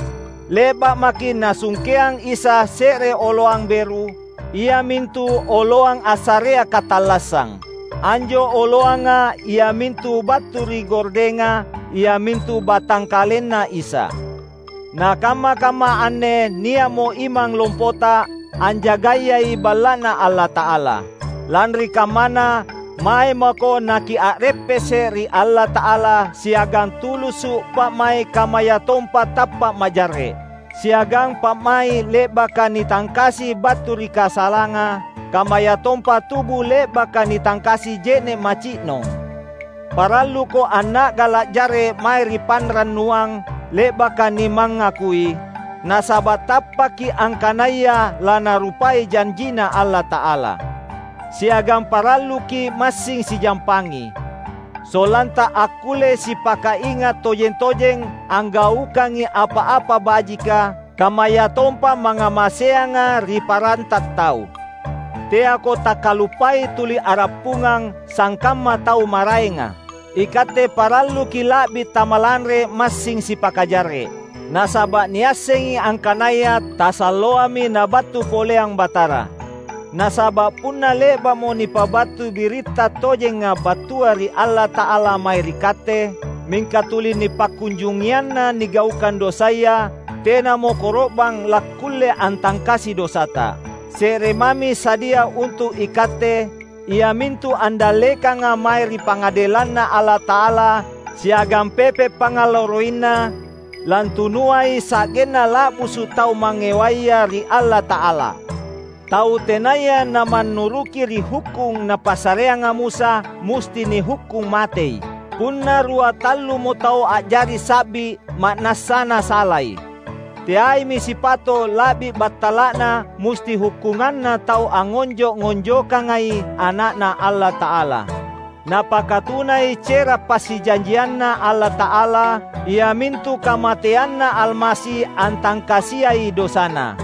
Le'ba' maki' Nasungkeang Isa se're oloang beru, iamintu oloang assarea katallassang. Anjo oloanga iamintu battu ri gordenga, iamintu batangkalenNa Isa. Na kamma-kamma anne nia'mo imang lompota anjagayai Balla'Na Allata'ala. Lanri kammana, mae mako nakia'reppese' ri Allata'ala siagang tulusu' pa'mai' kammayatompa tappa' majarre', siagang pa'mai' le'baka nitangkasi battu ri kasalanga, kammayatompa tubu le'baka nitangkasi je'ne' maci'nong. Paralluko anna'gala' jarre' mae ri panrannuang le'baka nimangakui, nasaba' tappaki' angkanaya lanarupai janjiNa Allata'ala. Siagang paralluki' massing sijampangi, sollanta akkulle sipakainga' tojeng-tojeng anggaukangi apa-apa bajika, kammayatompa mangngamaseanga ri paranta tau. Teako takkaluppai tuli a'rappungang sangkamma tau maraenga. Ikatte paralluki' la'bi tamalanre massing sipakajarre', nasaba' niassengi angkanaya tasalloami Nabattu poleang Batara. Nasaba' punna le'ba'mo nipabattu biritta tojenga battua ri Allata'ala mae ri katte, mingka tuli nipakkunjungianna nigaukang dosaya, tenamo koro'bang lakkulle antangkasi dosata. Se're mami sadia untu' ikatte, iamintu andallekanga mae ri pangadelanNa Allata'ala siagang pepe' pangngalloroinna, lantunuai sa'genna la'busu' tau mangngewaya ri Allata'ala. Tau tenaya namannuruki ri hukkung napassareanga Musa, musti nihukkung matei. Punna rua tallumo tau a'jari sa'bi, ma'nassana salai. Teaimi sipato' la'bi battala'na musti hukkunganna tau angngonjo'-ngonjokangai Ana'Na Allata'ala. Napakatunai cera' passijanjianNa Allata'ala, iamintu kamateanNa Almasi antangkasiai dosana.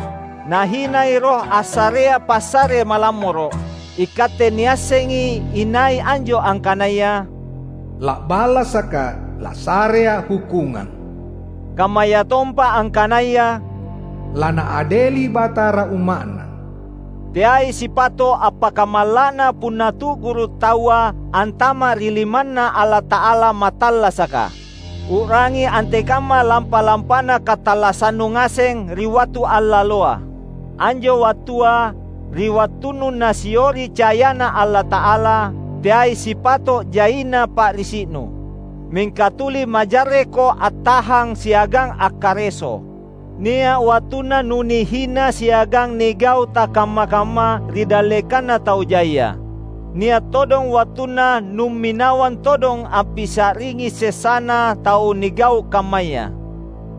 Nahinai Roh assarea passare malammoro'. Ikatte niassengi inai anjo angkanaya, "La'balasaka lasarea hukungang." Kammayatompa angkanaya, "Lanaadeli Batara umma'Na." Teai sipato' appakamalla'na punna tu'guru' taua antama' ri limanNa Allata'ala mattallasaka. U'rangi antekamma lampa-lampana katallassannu ngaseng ri wattu allaloa. Anjo wattua, ri wattunnu nasiori cayana Allata'ala, teai sipato' jaina pa'risi'nu. Mingka tuli majarreko attahang siagang akkareso. Nia' wattunna nunihina siagang nigau' takamma-kamma ri dallekanna tau jaia. Nia' todong wattunna numminawang todong ampisa'ringi sessana tau nigau' kammaya.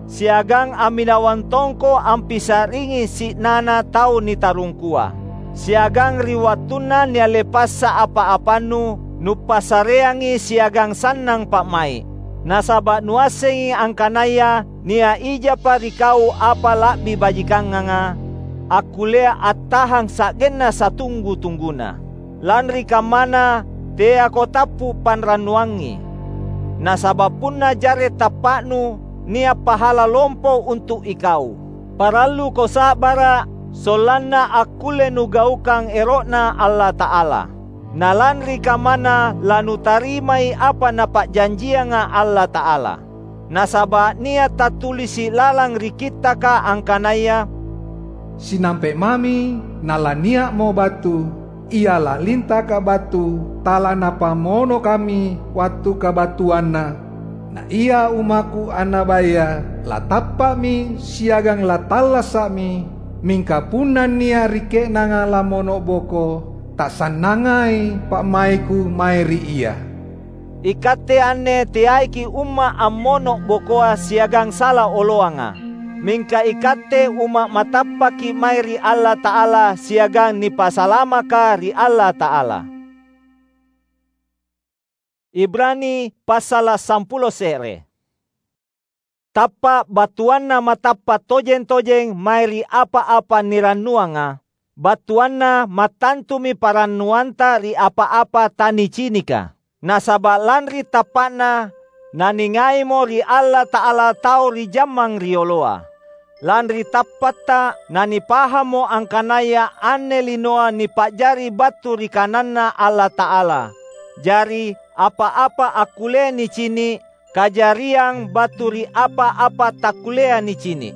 Siagang amminawang tongko ampisa'ringi si'nana tau nitarungkua. Siagang ri wattunna nialle passa apa-apannu, nupassareangi siagang sannang pa'mai'. Nasaba' nuassengi angkanaya nia' ijapa ri kau apa la'bi bajikanganga, akkullea attahang sa'genna satunggu-tungguna. Lanri kammana, teako tappu' panrannuangi. Nasaba' punna jarre' tappa'nu, nia' pahala lompo untu' ikau. Paralluko sa'bara', sollanna akkulle nugaukang ero'Na Allata'ala. Na lanri kammana lanutarimai apa Napa'janjianga Allata'ala. Nasaba' nia' tattulisi' lalang ri Kittaka angkanaya, "Sinampe' mami nalania'mo battu, ia lalintaka battu talanapammonokami wattu kabattuanna. Na ia ummaKu annabaya latappa'mi siagang latallasa'mi, mingka punna nia' ri ke'nanga lammono'boko, tasannangai pa'mai'Ku mae ri ia." Ikatte anne teaiki' umma' ammono'bokoa siagang sala oloanga. Mingka ikatte umma' matappaki' mae ri Allata'ala siagang nipasalamaka ri Allata'ala. Ibrani passala' sampulo se're. Tappa' battuanna matappa' tojeng-tojeng mae ri apa-apa nirannuanga, battuanna mattantumi parannuanta ri apa-apa tanicinika. Nasaba' lanri tappa'na, naningaimo ri Allata'ala tau ri jammang rioloa. Lanri tappatta nanipahammo angkanaya anne linoa nipa'jari battu ri kananNa Allata'ala. Jari, apa-apa akkullea nicini’, kajariang battu ri apa-apa takkulleai nicini’.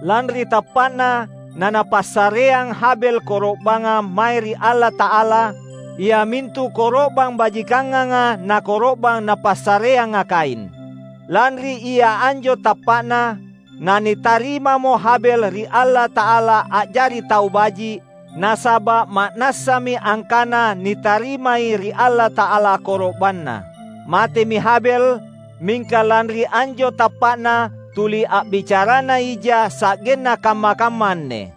Lanri tappa'na nanapassareang Habel koro'banga mae ri Allata'ala, iamintu koro'bang bajikanganga nakoro'bang napassareanga Kain. Lanri ia anjo tappa'na, nanitarimamo Habel ri Allata'ala a'jari tau baji’, nasaba’ ma'nassami angkana nitarimai ri Allata'ala koro'banna. Matemi Habel, mingka lanri anjo tappa'na tuli a'bicarana ija sa'genna kamma-kamma anne.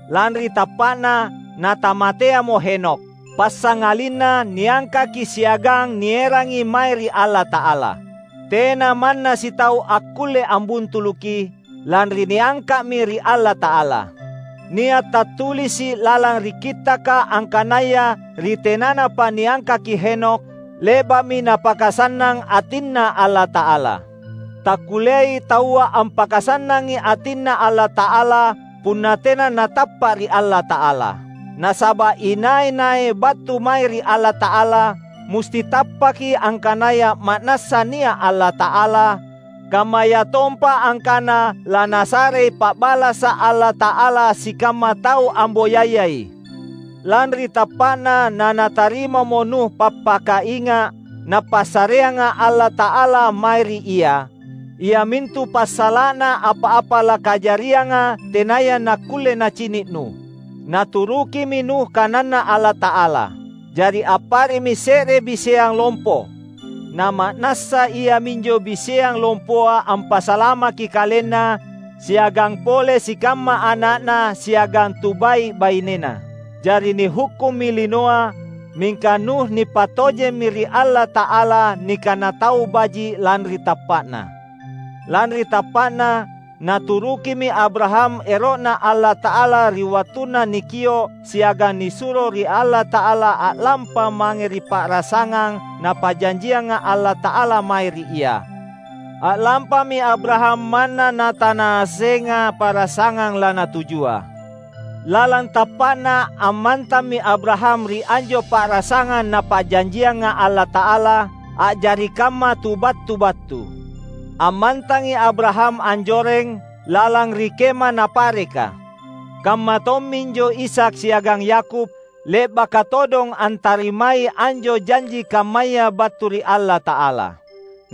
Lanri tappa'na natamateamo Henokh, passangalinna niangkaki siagang nierangi mae ri Allata'ala. Tena manna sitau akkulle ambuntuluki, lanri niangka'mi ri Allata'ala. Nia’ tattulisi’ lalang ri Kittaka angkanaya ri tenanapa niangkaki Henokh, le'ba'mi napakasannang atinNa Allata'ala. Takkulleai taua ampakasannangi atinNa Allata'ala punna tena natappa’ ri Allata'ala. Nasaba’ inai-nai battu mae ri Allata'ala, musti tappaki angkanaya ma'nassa nia’ Allata'ala, kammayatompa angkana lanasarei pa'balasa’ Allata'ala sikamma tau amboyayai. Lanri tappa'na nanatarimamo Nuh pappakainga’ Napassareanga Allata'ala mae ri ia, iamintu passala'na apa-apa lakajarianga tenaya nakkulle nacini’ Nuh. Naturukimi Nuh kananNa Allata'ala. Jari appare'mi se're biseang lompo. Nama'nassa iaminjo biseang lompoa ampasalamaki kalenna siagang pole sikamma ana'na siagang tu bai’-bainena. Jari nihukkummi linoa, mingka Nuh nipatojemmi ri Allata'ala nikana tau baji’ lanri tappa'na. Lanri tappa'na, naturukimi Abraham ero'Na Allata'ala ri wattunna nikio’ siagang nisuro ri Allata'ala a'lampa mange ri pa'rasangang Napa'janjianga Allata'ala mae ri ia. A'lampami Abraham manna natanaasenga pa'rasangang lanatujua. Lalang tappa'na ammantammi Abraham ri anjo pa'rasangang Napa'janjianga Allata'ala, a'jari kamma tu battu-battu. Ammantangi Abraham anjoreng lalang ri Kema Napareka. Kamma tomminjo Ishak siagang Yakub, le'baka todong antarimai anjo janji kammaya battu ri Allata'ala.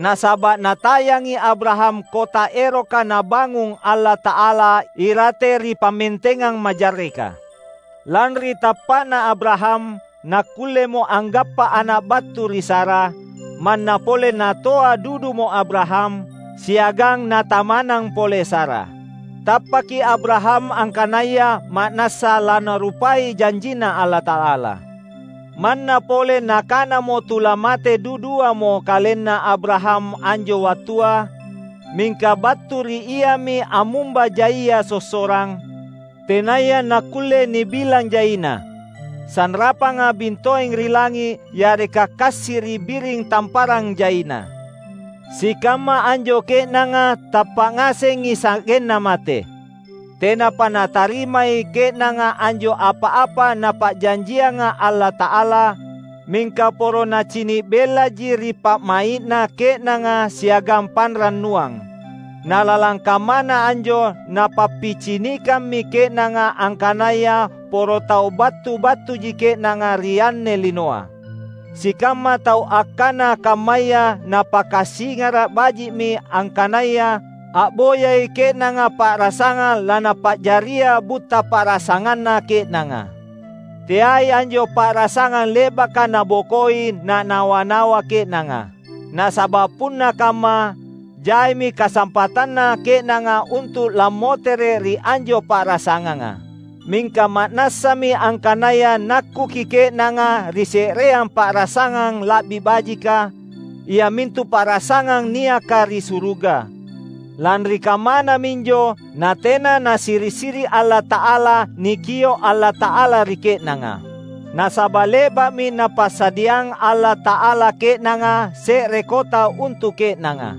Nasaba’ natayangi Abraham kota eroka Nabangung Allata'ala irate ri pammentengang majarreka. Lanri tappa'na Abraham, nakkullemo anggappa ana’ battu ri Sara, manna pole natoa dudumo Abraham, siagang natamanang pole Sara. Tappaki Abraham angkanaya ma'nassa lanarupai janjinNa Allata'ala. Manna pole nakanamo tu lamate duduamo kalenna Abraham anjo wattua, mingka battu ri iami ammumba jaia sossorang, tenaya nakkulle nibilang jaina, sanrapanga bintoeng ri langi’ yareka kassiri’ biring tamparang jaina. Sikamma anjo ke'nanga tappa’ ngasengi sa'genna mate. Tenapa natarimai ke'nanga anjo apa-apa Napa'janjianga Allata'ala, mingka poro nacini’ bellaji ri pa'mai'na ke'nanga siagang panrannuang. Na lalang kammana anjo napappicinikammi ke'nanga angkanaya poro tau battu-battuji ke'nanga ri anne linoa. Sikamma tau akkana kammaya napakasingara’ baji'mi angkanaya a'boyai ke'nanga pa'rasangang lanapa'jaria butta pa'rasanganna ke'nanga. Teai anjo pa'rasangang le'baka nabokoi nanawa-nawa ke'nanga. Nasaba’ punna kamma, jaimi kasampatanna ke'nanga untu’ lammotere’ ri anjo pa'rasanganga. Mingka ma'nassami angkanaya nakkuki ke'nanga ri se'reang pa'rasangang la'bi bajika, iamintu pa'rasangang niaka ri suruga. Lanri kammana minjo natena Nasiri’-siri’ Allata'ala nikio’ Allata'ala ri ke'nanga. Nasaba’ le'ba'mi Napassadiang Allata'ala ke'nanga se're kota untu’ ke'nanga.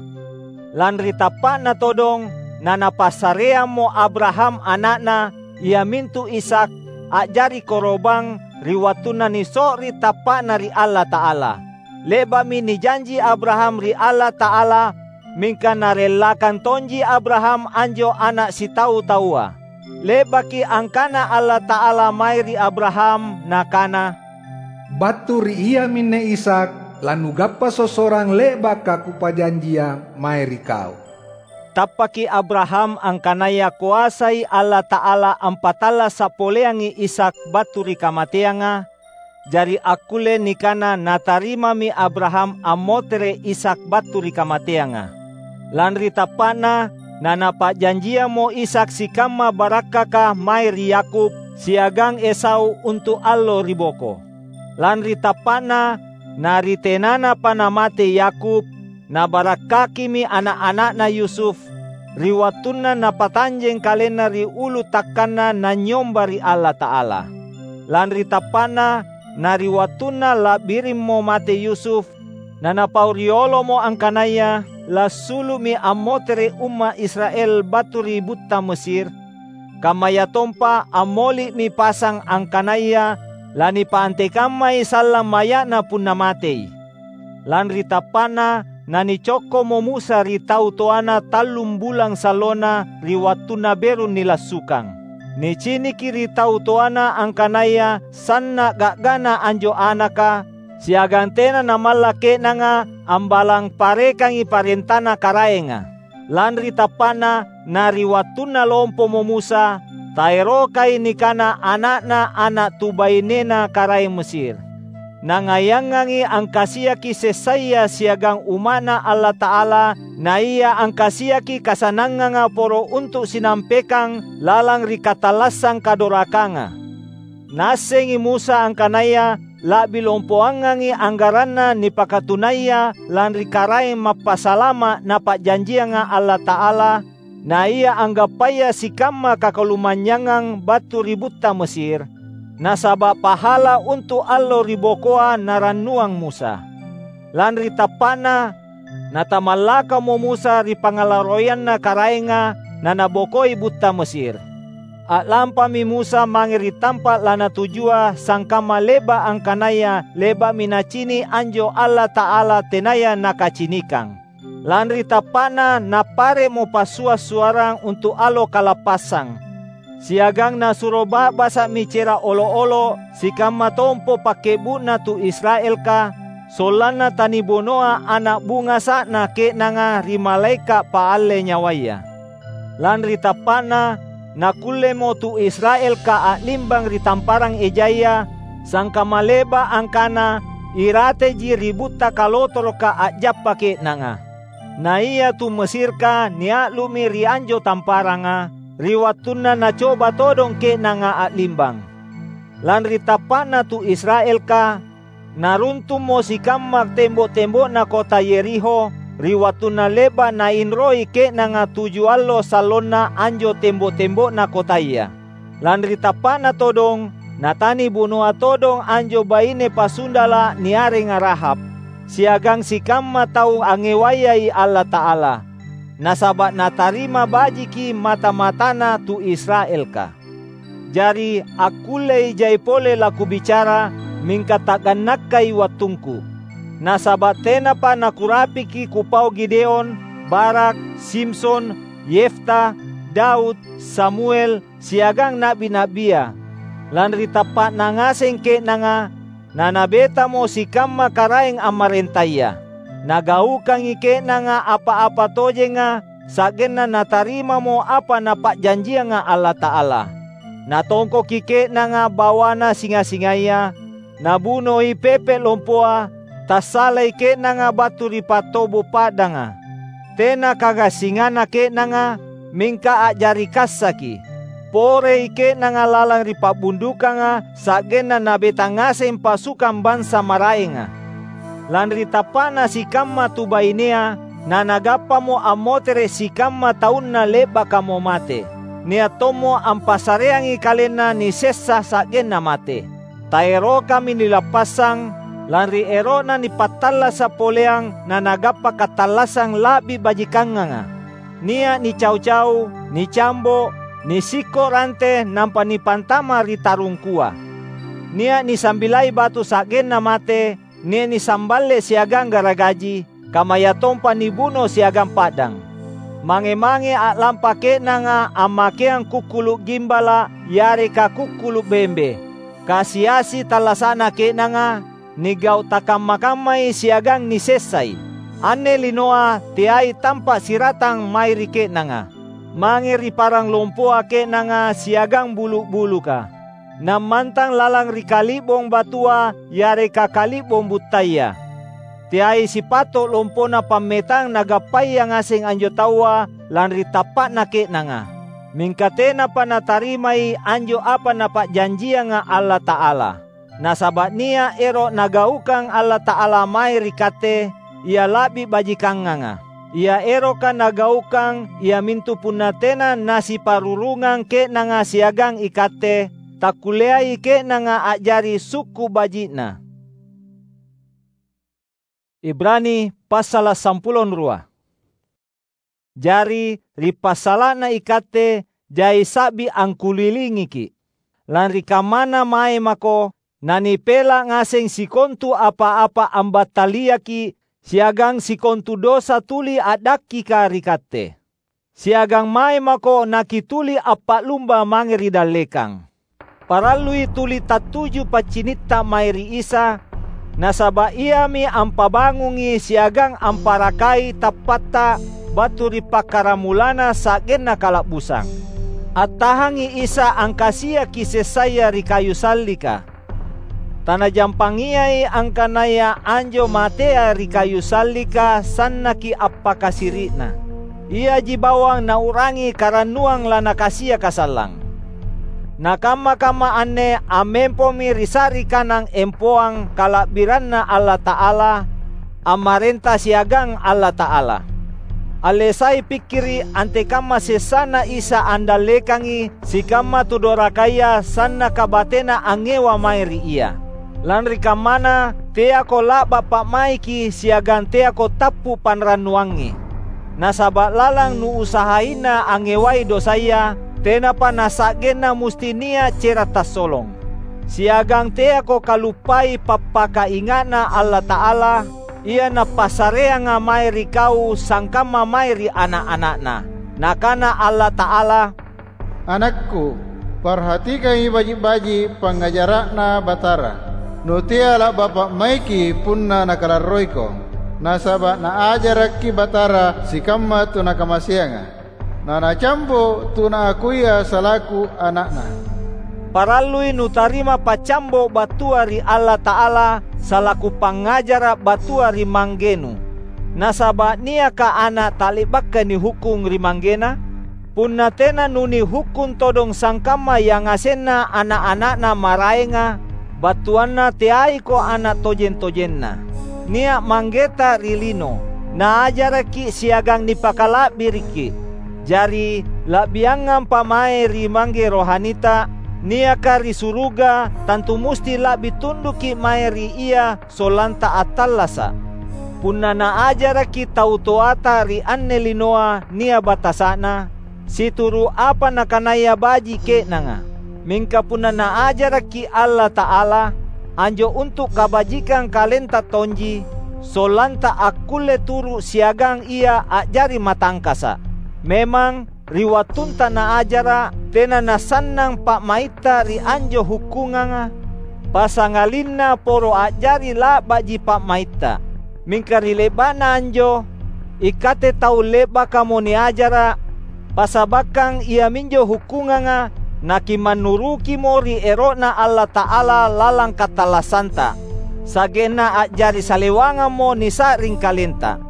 Lanri tappa'na todong, na napassareammo Abraham ana'na, iamintu Ishak, a'jari koro'bang ri wattunna niso'ri tappa'na ri Allata'ala. Le'ba'mi nijanji Abraham ri Allata'ala, mingka narellakang tonji Abraham anjo ana’ sitau-taua. Le'baki angkana Allata'ala mae ri Abraham, Nakana, "Battu ri iaminne Ishak lanugappa sossorang le'baka Kupajanjia mae ri kau." Tappaki Abraham angkanaya koasai Allata'ala ampattallasa’ poleangi Ishak battu ri kamateanga, jari akkulle nikana natarimami Abraham ammotere’ Ishak battu ri kamateanga. Lanri tappa'na, nanapa'janjiammo Ishak sikamma barakkaka mae ri Yakub siagang Esau untu’ allo ri boko. Lanri tappa'na, na ri tenanapa namate Yakub, nabarakkakimi ana’-ana'na Yusuf, ri wattunna napatanjeng kalenna ri ulu takkanna nanynyomba ri Allata'ala. Lanri tappa'na, na ri wattunna la'birimmo mate Yusuf, nanapau riolomo angkanaya lassulu'mi ammotere’ umma’ Israel battu ri butta Mesir, kammayatompa ammoli'mi pasang angkanaya lanipaantekammai sallang maya'na punna matei. Lanri tappa'na, nanicokko'mo Musa ri tau toana tallung bulang sallona ri wattunna beru nilassukang. Niciniki ri tau toana angkanaya sanna’ ga'gana anjo anaka, siagang tena namalla’ ke'nanga ambalang parekangi parentana Karaenga. Lanri tappa'na, na ri wattunna lompomo Musa, taerokai nikana ana'na ana’ tu bainena karaeng Mesir. Nangayangangi angkasiaki sessaya siagang umma'Na Allata'ala, naia angkasiaki kasananganga poro untu’ sinampekang lalang ri katallassang kadorakanga. Naassengi Musa angkanaya la'bi lompoangangi anggaranna nipakatunaya lanri Karaeng Mappasalama’ Napa'janjianga Allata'ala, naia anggappaya sikamma kakalumanynyangang battu ri butta Mesir, nasaba’ pahala untu’ allo ri bokoa narannuang Musa. Lanri tappa'na, natamallakamo Musa ri pangngalarroianna Karaenga nanabokoi butta Mesir. A'lampami Musa mange ri tampa’ lanatujua sangkamma le'ba’ angkanaya le'ba'mi nacini’ anjo Allata'ala tenaya nakacinikang. Lanri tappa'na nappare'mo passua’-suarrang untu’ allo kalappassang. Siagang nasuro ba'basa'mi cera’ olo’-olo’ sikamma tompo pakke'bu'na tu Israelka, sollanna tanibunoa ana’ bungasa'na ke'nanga ri malaeka’ paalle nyawaya. Lanri tappa'na, nakkullemo tu Israelka a'limbang ri tamparang ejaya, sangkamma le'ba’ angkana irateji ri butta kalotoroka a'jappa ke'nanga. Na ia tu Mesirka nia'lu'mi ri anjo tamparanga, ri wattunna nacoba todong ke'nanga a'limbang. Lanri tappa'na tu Israelka, naruntummo sikamma tembo’-tembo'na kota Yeriho, ri wattunna le'ba’ nainroi ke'nanga tuju allo sallonna anjo tembo’-tembo'na kotaya. Lanri tappa'na todong, natanibunoa todong anjo baine pasundala’ niarenga Rahab, siagang sikamma tau angngewayai Allata'ala, nasaba’ natarima bajiki mata-matana tu Israelka. Jari, akkullei jai pole lakubicara, mingka ta'gannakkai wattungku. Nasaba’ tenapa nakurapiki kupau Gideon, Barak, Simson, Yefta, Daud, Samuel, siagang na'bi-na'bia. Lanri tappa'na ngaseng ke'nanga, nanabetamo sikamma karaeng ammarentaya. Nagaukangi ke'nanga apa-apa tojenga, sa'genna natarimamo apa Napa'janjianga Allata'ala. Natongkoki ke'nanga bawana singa-singaya, nabunoi pepe’ lompoa, tassalai ke'nanga battu ri pattobo’ pa'danga. Tena kagassinganna ke'nanga, mingka a'jari kassaki. Porei ke'nanga lalang ri pa'bundukanga, sa'genna nabeta ngaseng pasukang bansa maraenga. Lanri tappa'na sikamma tu bainea, nanagappamo ammotere’ sikamma taunna le'bakamo mate. Nia’ tommo ampassareangi kalenna nisessa sa'genna mate. Taerokami nilappassang, lanri ero'na nipattallasa’ poleang nanagappa katallassang la'bi bajikanganga. nia’ nicau-cau, nicambo’, nisikko’ rante nampa nipantama’ ri tarungkua. Nia’ nisambilai batu sa'genna mate, nia’ nisamballe’ siagang garagaji, kammayatompa nibuno siagang pa'dang. Mange-mange a'lampa ke'nanga ammakeang kukkulu’ gimbala’ yareka kukkulu’ bembe. Kasi-asi tallasa'na ke'nanga, nigau’ takamma-kammai siagang nisessai. Anne linoa teai tampa’ siratang mae ri ke'nanga. Mange ri parang lompoa ke'nanga siagang bulu’-buluka. Nammantang lalang ri kali'bong batua yareka kali'bong buttaya. Teai sipato’ lompona pammetang nagappaya ngaseng anjo taua lanri tappa'na ke'nanga. Mingka tenapa natarimai anjo apa Napa'janjianga Allata'ala. Nasaba’ nia’ ero’ Nagaukang Allata'ala mae ri katte, ia la'bi bajikanganga. Ia eroka Nagaukang iamintu punna tena nasiparurungang ke'nanga siagang ikatte, takkulleai ke'nanga a'jari sukku’ baji'Na. Ibrani passala’ sampulo rua. Jari, ri passala'na ikatte jai sa'bi angkulilingiki’. Lanri kammana mae mako nanipela’ ngaseng sikontu apa-apa ambattaliaki’ siagang sikontu dosa tuli a'dakkika ri katte. Siagang mae mako nakituli appa'lumba mange ri dallekang. Parallui tuli tattuju paccinitta mae ri Isa, nasaba’ Iami ampabangungi siagang amparakai tappatta battu ri pakkaramulanna sa'genna kala'busang. Attahangi Isa angkasiaki sessaya ri kayu sallika. Tanajampangiai angkanaya anjo matea ri kayu sallika sannaki appakasiri'na. Iaji bawang nau'rangi karannuang lanakasiaka sallang. Nakamma-kamma anne ammempomi ri sa'ri kanang empoang kala'biranNa Allata'ala, ammarenta siagang Allata'ala. Allesai pikkiri’ antekamma sessana Isa andallekangi sikamma tu dorakaya sannaka batena angngewa mae ri Ia. Lanri kammana, teako la'ba’ pa'maiki siagang teako tappu’ panrannuangi. Nasaba’ lalang nuusahaina angngewai dosaya, tenapa nasa'genna musti nia’ cera’ tassolong. Siagang teako kaluppai pappakainga'Na Allata'ala, Ia Napassareanga mae ri kau sangkamma mae ri ana’-ana'Na. Nakana Allata'ala, "Anakku, parhatikangi baji’-baji’ pangngajara'Na Batara. Nutea la'ba’ pa'maiki punna Nakalarroiko, nasaba’ Naajarakki Batara sikamma tu Nakamaseanga. Na Nacambo’ tu Naakuia salaku Ana'Na." Parallui nutarima paccambo’ battua ri Allata'ala salaku pangngajara’ battua ri manggenu. Nasaba’ niaka ana’ ta'le'baka nihukkung ri manggena? Punna tena nunihukkung todong sangkamma yangasenna ana’-ana'na maraenga, battuanna teaiko ana’ tojeng-tojenna. Nia’ manggeta ri lino, naajaraki’ siagang nipakala'biriki’. Jari, la'biangampa mae ri Mangge rohanita, niaka ri suruga, tantu musti la'bi tunduki’ mae ri Ia sollanta attallasa’. Punna naajaraki’ tau toata ri anne linoa nia’ batasa'na, situru’ apa nakanaya baji’ ke'nanga. Mingka punna Naajarakki’ Allata'ala, anjo untu’ kabajikang kalenta tonji, sollanta akkulle turu’ siagang Ia a'jari matangkasa’. Memang, ri wattunta Naajara’, tena nasannang pa'maitta ri anjo hukkunganga, passangalinna poro a'jari la'ba'ji pa'maitta. Mingka ri le'ba'na anjo, ikatte tau le'bakamo niajara’, passabakkang iaminjo hukkunganga nakimannurukimo ri ero'Na Allata'ala lalang katallassanta, sa'genna a'jari salewangammo nisa'ring kalenta.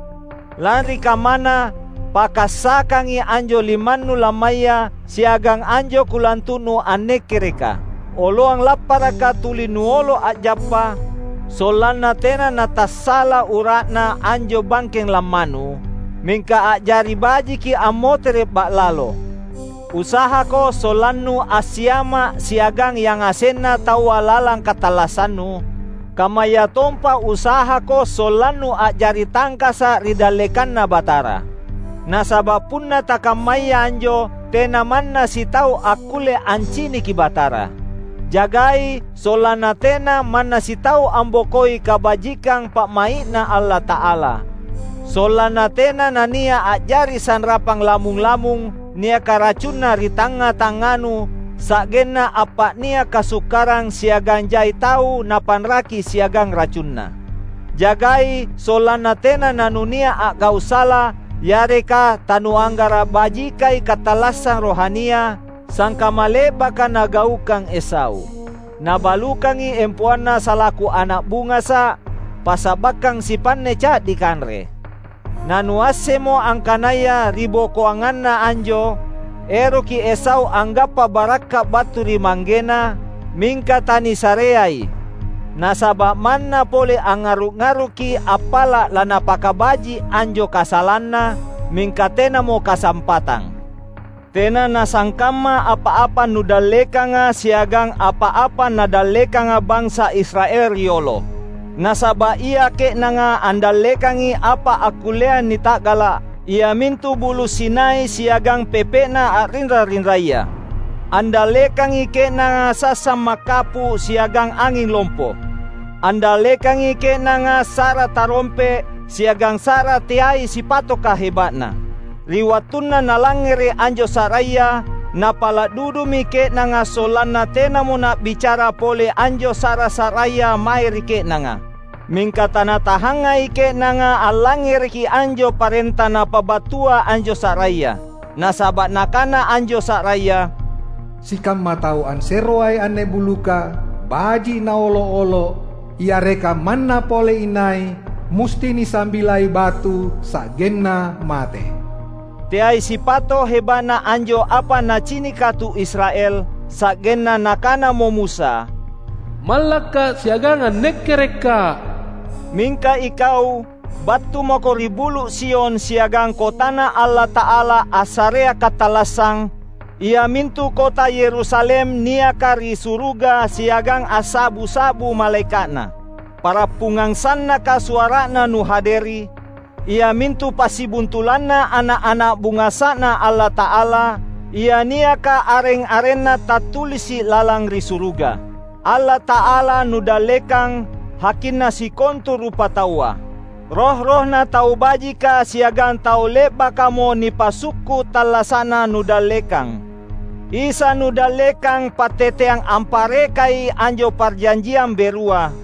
Lanri kammana, pakassakangi anjo limannu lammaya siagang anjo kulantu'nu annekkereka. Oloang lapparaka tuli nuolo a'jappa, sollanna tena natassala ura'na anjo bangkeng lammanu, mingka a'jari bajiki ammotere’ ba'lalo. Usahako sollannu assiama’ siagang yangasenna taua lalang katallassannu, kammayatompa usahako sollannu a'jari tangkasa’ ri dallekanNa Batara. Nasaba’ punna takammaya anjo, tena manna sitau akkulle anciniki Batara. Jagai, sollanna tena manna sitau ambokoi kabajikang pa'mai'Na Allata'ala. Sollanna tena nania’ a'jari sanrapang lamung-lamung niaka racunna ri tangnga-tangnganu, sa'genna appa'nia’ kasukkarang siagang jai tau napanraki siagang racunna. Jagai, sollanna tena nanunia’ a'gau’ sala, yareka tanuanggara’ bajikai katallassang rohania, sangkamma le'baka nagaukang Esau. Nabalukangi empoanna salaku ana’ bungasa’, passabakkang sipanne ca'di kanre. Nanuassemmo angkanaya ribokoanganna anjo, eroki Esau anggappa barakka’ battu ri manggena, mingka tanisareai. Nasaba’ manna pole angngaru’-ngaruki appala’ lanapakabaji’ anjo kasalanna, mingka tenamo kasampatang. Tena nasangkamma apa-apa nudallekanga siagang apa-apa nadallekanga bansa Israel riolo. Nasaba’ ia ke'nanga andallekangi apa akkullea nita'gala’, iamintu Bulu’ Sinai siagang pepe'na a'rinra-rinraya. Andallekangi ke'nanga sassang makkapu’ siagang anging lompo. Andallekangi ke'nanga sa'ra tarompe’ siagang sa'ra teai sipatoka heba'na. Ri wattunna nalangngere’ anjo sa'raya, napala’ dudumi ke'nanga sollanna tenamo na'bicara pole anjo sa'ra-sa'raya mae ri ke'nanga. Mingka tanatahangai ke'nanga allangngereki anjo parenta napabattua anjo sa'raya. Nasaba’ nakana anjo sa'raya, "Sikamma tau anseroai anne buluka, baji’ naolo’-olo’, yareka manna pole inai, musti nisambilai batu sa'genna mate." Teai sipato’ heba'na anjo apa nacinika tu Israel, sa'genna nakanamo Musa, "Mallakka’ siagang annekkerekka’." Mingka ikau, battu mako ri Bulu’ Sion siagang kotana Allata'ala assarea katallassang, iamintu kota Yerusalem niaka ri suruga siagang assa'bu-sa'bu malaeka'na. Parappungang sannaka suara'na nuhaderi, iamintu passibuntulanna ana’-ana’ bungasa'Na Allata'ala, ia niaka areng-arenna tattulisi’ lalang ri suruga. Allata'ala nudallekang, hakinna sikontu rupataua. Roh-rohna tau bajika siagang tau le'bakamo nipasukku’ tallasa'na nudallekang. Isa nudallekang patteteang amparekai anjo parjanjiang berua.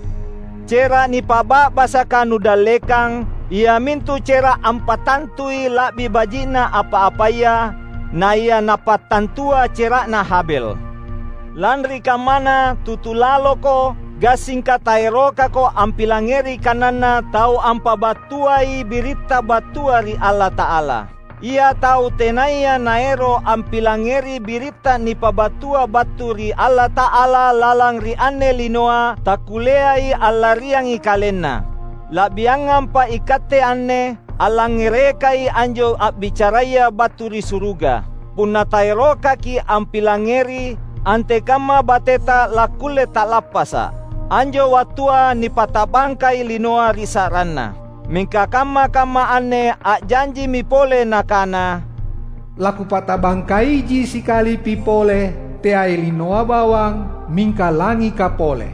Cera’ nipa'ba'basaka nudallekang, iamintu cera’ ampatantui la'bi baji'na apa-apaya, naia napattantua cera'na Habel. Lanri kammana, tutu laloko, gassingka taerokako ampilangngeri kananNa tau ampabattuai biritta battua ri Allata'ala. Ia tau tenaya naero’ ampilangngeri biritta nipabattua battu ri Allata'ala lalang ri anne linoa, takkulleai allariangi kalenna. La'biangampa ikatte anne, allangngerekai anjo a'bicaraya battu ri suruga. Punna taerokaki ampilangngeri, antekamma bateta lakkulle ta'lappasa’. Anjo wattua nipata'bangkai linoa ri sa'ranna. Mingka kamma-kamma anne a'janjimi pole nakana, "Lakupata'bangkaiji sikalipi pole, teai linoa bawang, mingka langika pole."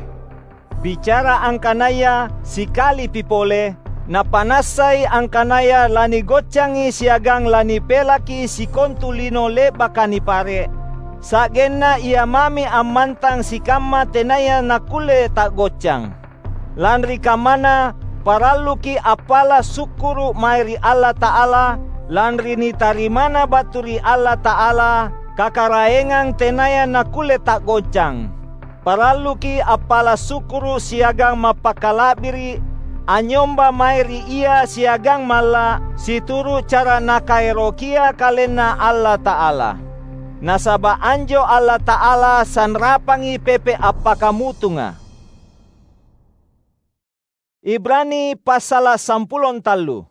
Bicara angkanaya sikalipi pole, napa'nassai angkanaya lanigoccangi siagang lanipelaki sikontu lino le'baka nipare’, sa'genna ia mami ammantang sikamma tenaya nakkulle ta'goccang. Lanri kammana, paralluki appala’ sukkuru’ mae ri Allata'ala, lanri nitarimana battu ri Allata'ala kakaraengang tenaya nakkulle ta'goccang. Paralluki appala’ sukkuru’ siagang mappakala'biri’, anynyomba mae ri Ia siagang malla’, situru’ cara Nakaerokia KalenNa Allata'ala. Nasaba’ anjo Allata'ala sanrapangi pepe’ appakamutunga. Ibrani passala’ sampulo tallu.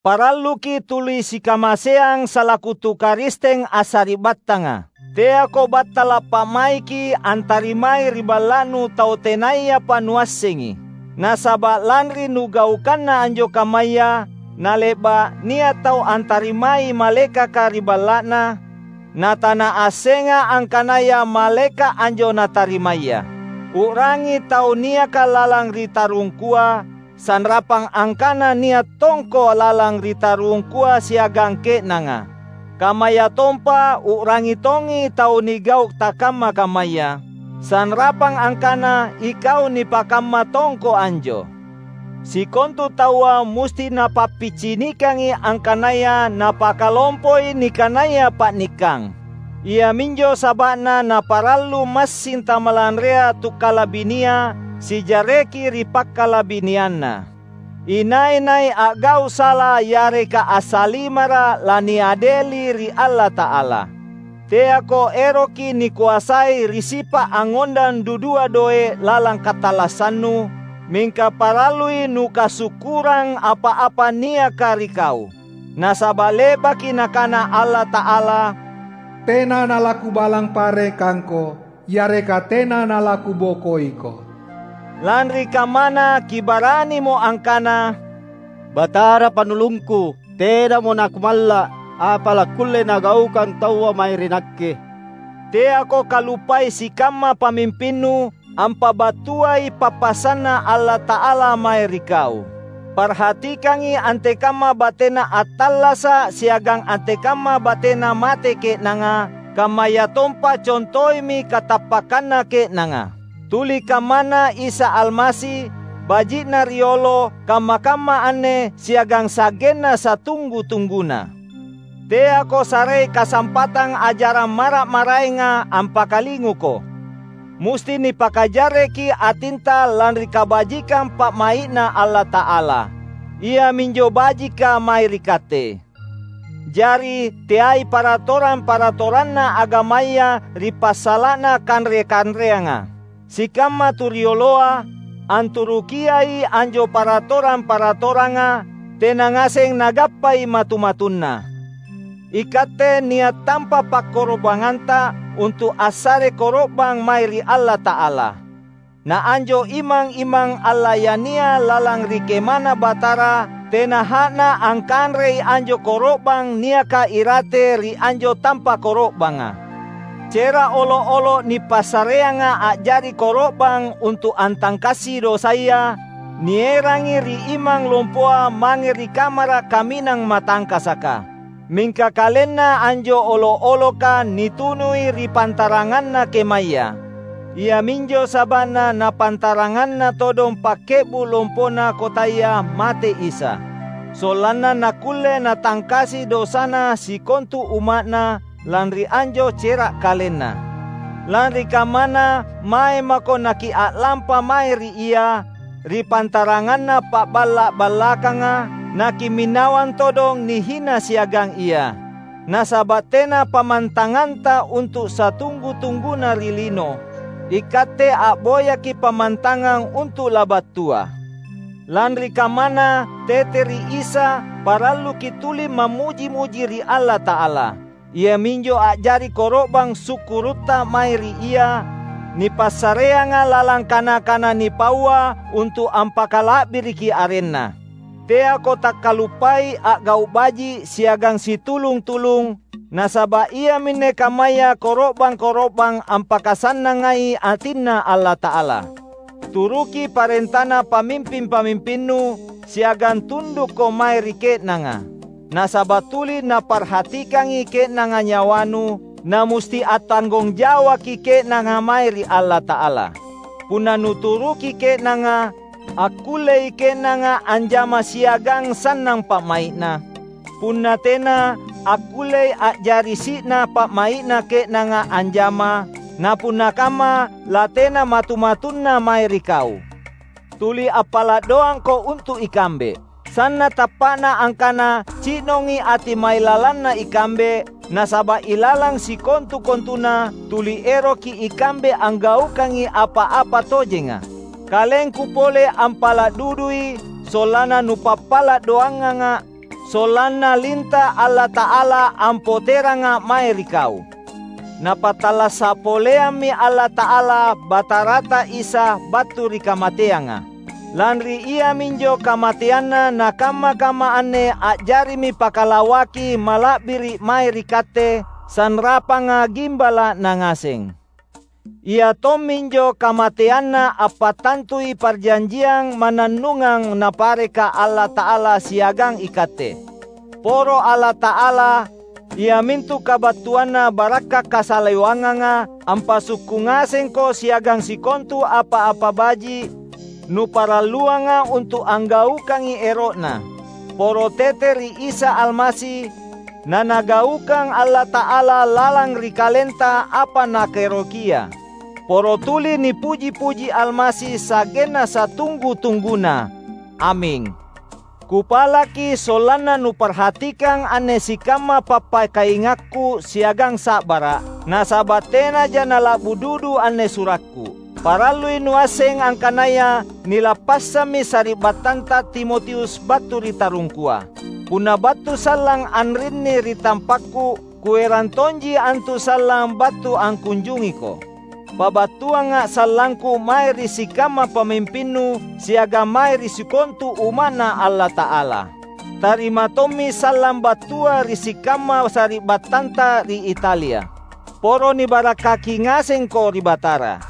Paralluki tuli sikamaseang salaku tu Karisteng assari'battanga. Teako battala’ pa'maiki antarimai ri balla'nu tau tenayapa nuassengi. Nasaba’ lanri nugaukanna anjo kammaya, Nale'ba’ nia’ tau antarimai malaekaka ri balla'na, natanaassenga angkanaya malaeka’ anjo natarimaya. U'rangi tau niaka lalang ri tarungkua, sanrapang angkana nia’ tongko lalang ri tarungkua siagang ke'nanga. Kammayatompa u'rangi tongi tau nigau’ takamma-kammaya, sanrapang angkana ikau nipakamma tongko anjo. Sikontu taua musti napappicinikangi angkanaya napakalompoi nikanaya pa'nikkang. Iaminjo saba'na naparallu massing tamalanrea tukkalabinia sijareki ri pakkalabinianna. Inai-nai a'gau’ sala yareka assalimara’ laniadeli ri Allata'ala. Teako eroki nikoasai ri sipa’ angngondang dudua doe’ lalang katallassannu, mingka parallui nukasukkurang apa-apa niaka ri kau. Nasaba’ le'baki Nakana Allata'ala, "Tena nalaKubalang parekangko, yareka tena nalaKubokoiko." Lanri kammana kibaranimo angkana, "Batara Pannulungku, tenamo nakumalla’ apa lakkulle nagaukang taua mae ri nakke." Teako kaluppai sikamma pamimpinnu ampabattuai pappasanNa Allata'ala mae ri kau. Parhatikangi antekamma batena attallasa’ siagang antekamma batena mate ke'nanga, kammayatompa contoimi katappakanna ke'nanga. Tuli kammana Isa Almasi, baji'na riolo, kamma-kamma anne siagang sa'genna satunggu-tungguna. Teako sarei kasampatang ajarang mara’-maraenga ampakalinguko. Musti nipakajarreki atinta lanri kabajikang pa'mai'Na Allata'ala, iaminjo bajika mae ri katte. Jari, teai paratorang-paratoranna agamaya ri passala'na kanre-kanreanga. Sikamma tu rioloa anturukiai anjo paratorang-paratoranga, tena ngaseng nagappai matu-matunna. Ikatte nia’ tampa pakkoro'banganta untu’ assare koro'bang mae ri Allata'ala. Na anjo imang-imang allayania lalang ri KemaNa Batara, tena ha'na angkanrei anjo koro'bang niaka irate ri anjo tampa koro'banga. Cera’ olo’-olo’ nipassareanga a'jari koro'bang untu’ antangkasi dosaya, nierangi ri imang lompoa mange ri kamara’ kaminang matangkasaka. Mingka kalenna anjo olo’-oloka nitunui ri pantaranganna kemaya. Iaminjo saba'na napantaranganna todong pakke'bu’ lompona kotaya mate Isa, sollanna nakkulle natangkasi dosana sikontu umma'Na lanri anjo cera’ kalenna. Lanri kammana, mae mako nakia'lampa mae ri Ia, ri pantaranganna pa'balla’-ballakanga, nakiminawang todong nihina siagang Ia. Nasaba’ tena pammantanganta untu’ satunggu-tungguna ri lino, ikatte a'boyaki’ pammantangang untu’ labattua. Lanri kammana, tete ri Isa paralluki’ tuli mammuji-muji ri Allata'ala. Iaminjo a'jari koro'bang sukkurutta mae ri Ia, nipassareanga lalang kana-kana nipaua untu’ ampakala'biriki arenNa. Teako takkaluppai a'gau’ baji’ siagang situlung-tulung, nasaba’ iaminne kammaya koro'bang-koro'bang ampakasannangai atinNa Allata'ala. Turuki parentana pamimping-pamimpinnu, siagang tundukko mae ri ke'nanga. Nasaba’ tuli naparhatikangi ke'nanga nyawanu, namusti attanggong jawaki ke'nanga mae ri Allata'ala. Punna nuturuki ke'nanga, akkullei ke'nanga anjama siagang sannang pa'mai'na. Punna tena, akkullei a'jari si'na pa'mai'na ke'nanga anjama, na punna kamma, latena matu-matunna mae ri kau. Tuli appala’ doangko untu’ ikambe. Sanna’ tappa'na angkana ci'nongi ati mailalanna ikambe, nasaba’ ilalang sikontu-kontuna tuli eroki ikambe anggaukangi apa-apa tojenga. Kalengku pole ampala’ dudui, sollanna nupappala’ doanganga’, sollanna linta’ Allata'ala ampoteranga’ mae ri kau. Napattallasa’ poleammi Allata'ala Batarata Isa battu ri kamateanga. Lanri iaminjo kamateanna nakamma-kamma anne a'jarimi pakalawaki mala'biri’ mae ri katte, sanrapanga gimbala'na ngaseng. Ia tomminjo kamateanna appattantui parjanjiang mannannungang Napareka Allata'ala siagang ikatte. Poro Allata'ala, iamintu kabattuanna barakka’ kasalewanganga, ampasukku ngasengko siagang sikontu apa-apa baji’ nuparalluanga untu’ anggaukangi ero'Na. Poro tete ri Isa Almasi, naNagaukang Allata'ala lalang ri kalenta apa Nakaerokia. Poro tuli nipuji-puji Almasi sa'genna satunggu-tungguna. Aming. Kupalaki sollanna nuparhatikang anne sikamma pappakaingakku siagang sa'bara’, nasaba’ tenaja nala'bu dudu anne surakku. Parallui nuasseng angkanaya nilappassammi sari'battanta Timotius battu ri tarungkua. Punna battu sallang anrinni ri tampakku, kuerang tonji antu sallang battu angkunjungiko. Pabattuanga’ sallangku mae ri sikamma pamimpinnu siagang mae ri sikontu umma'Na Allata'ala. Tarima tommi sallang battua ri sikamma sari'battanta ri Italia. Poro nibarakkaki ngasengko ri Batara.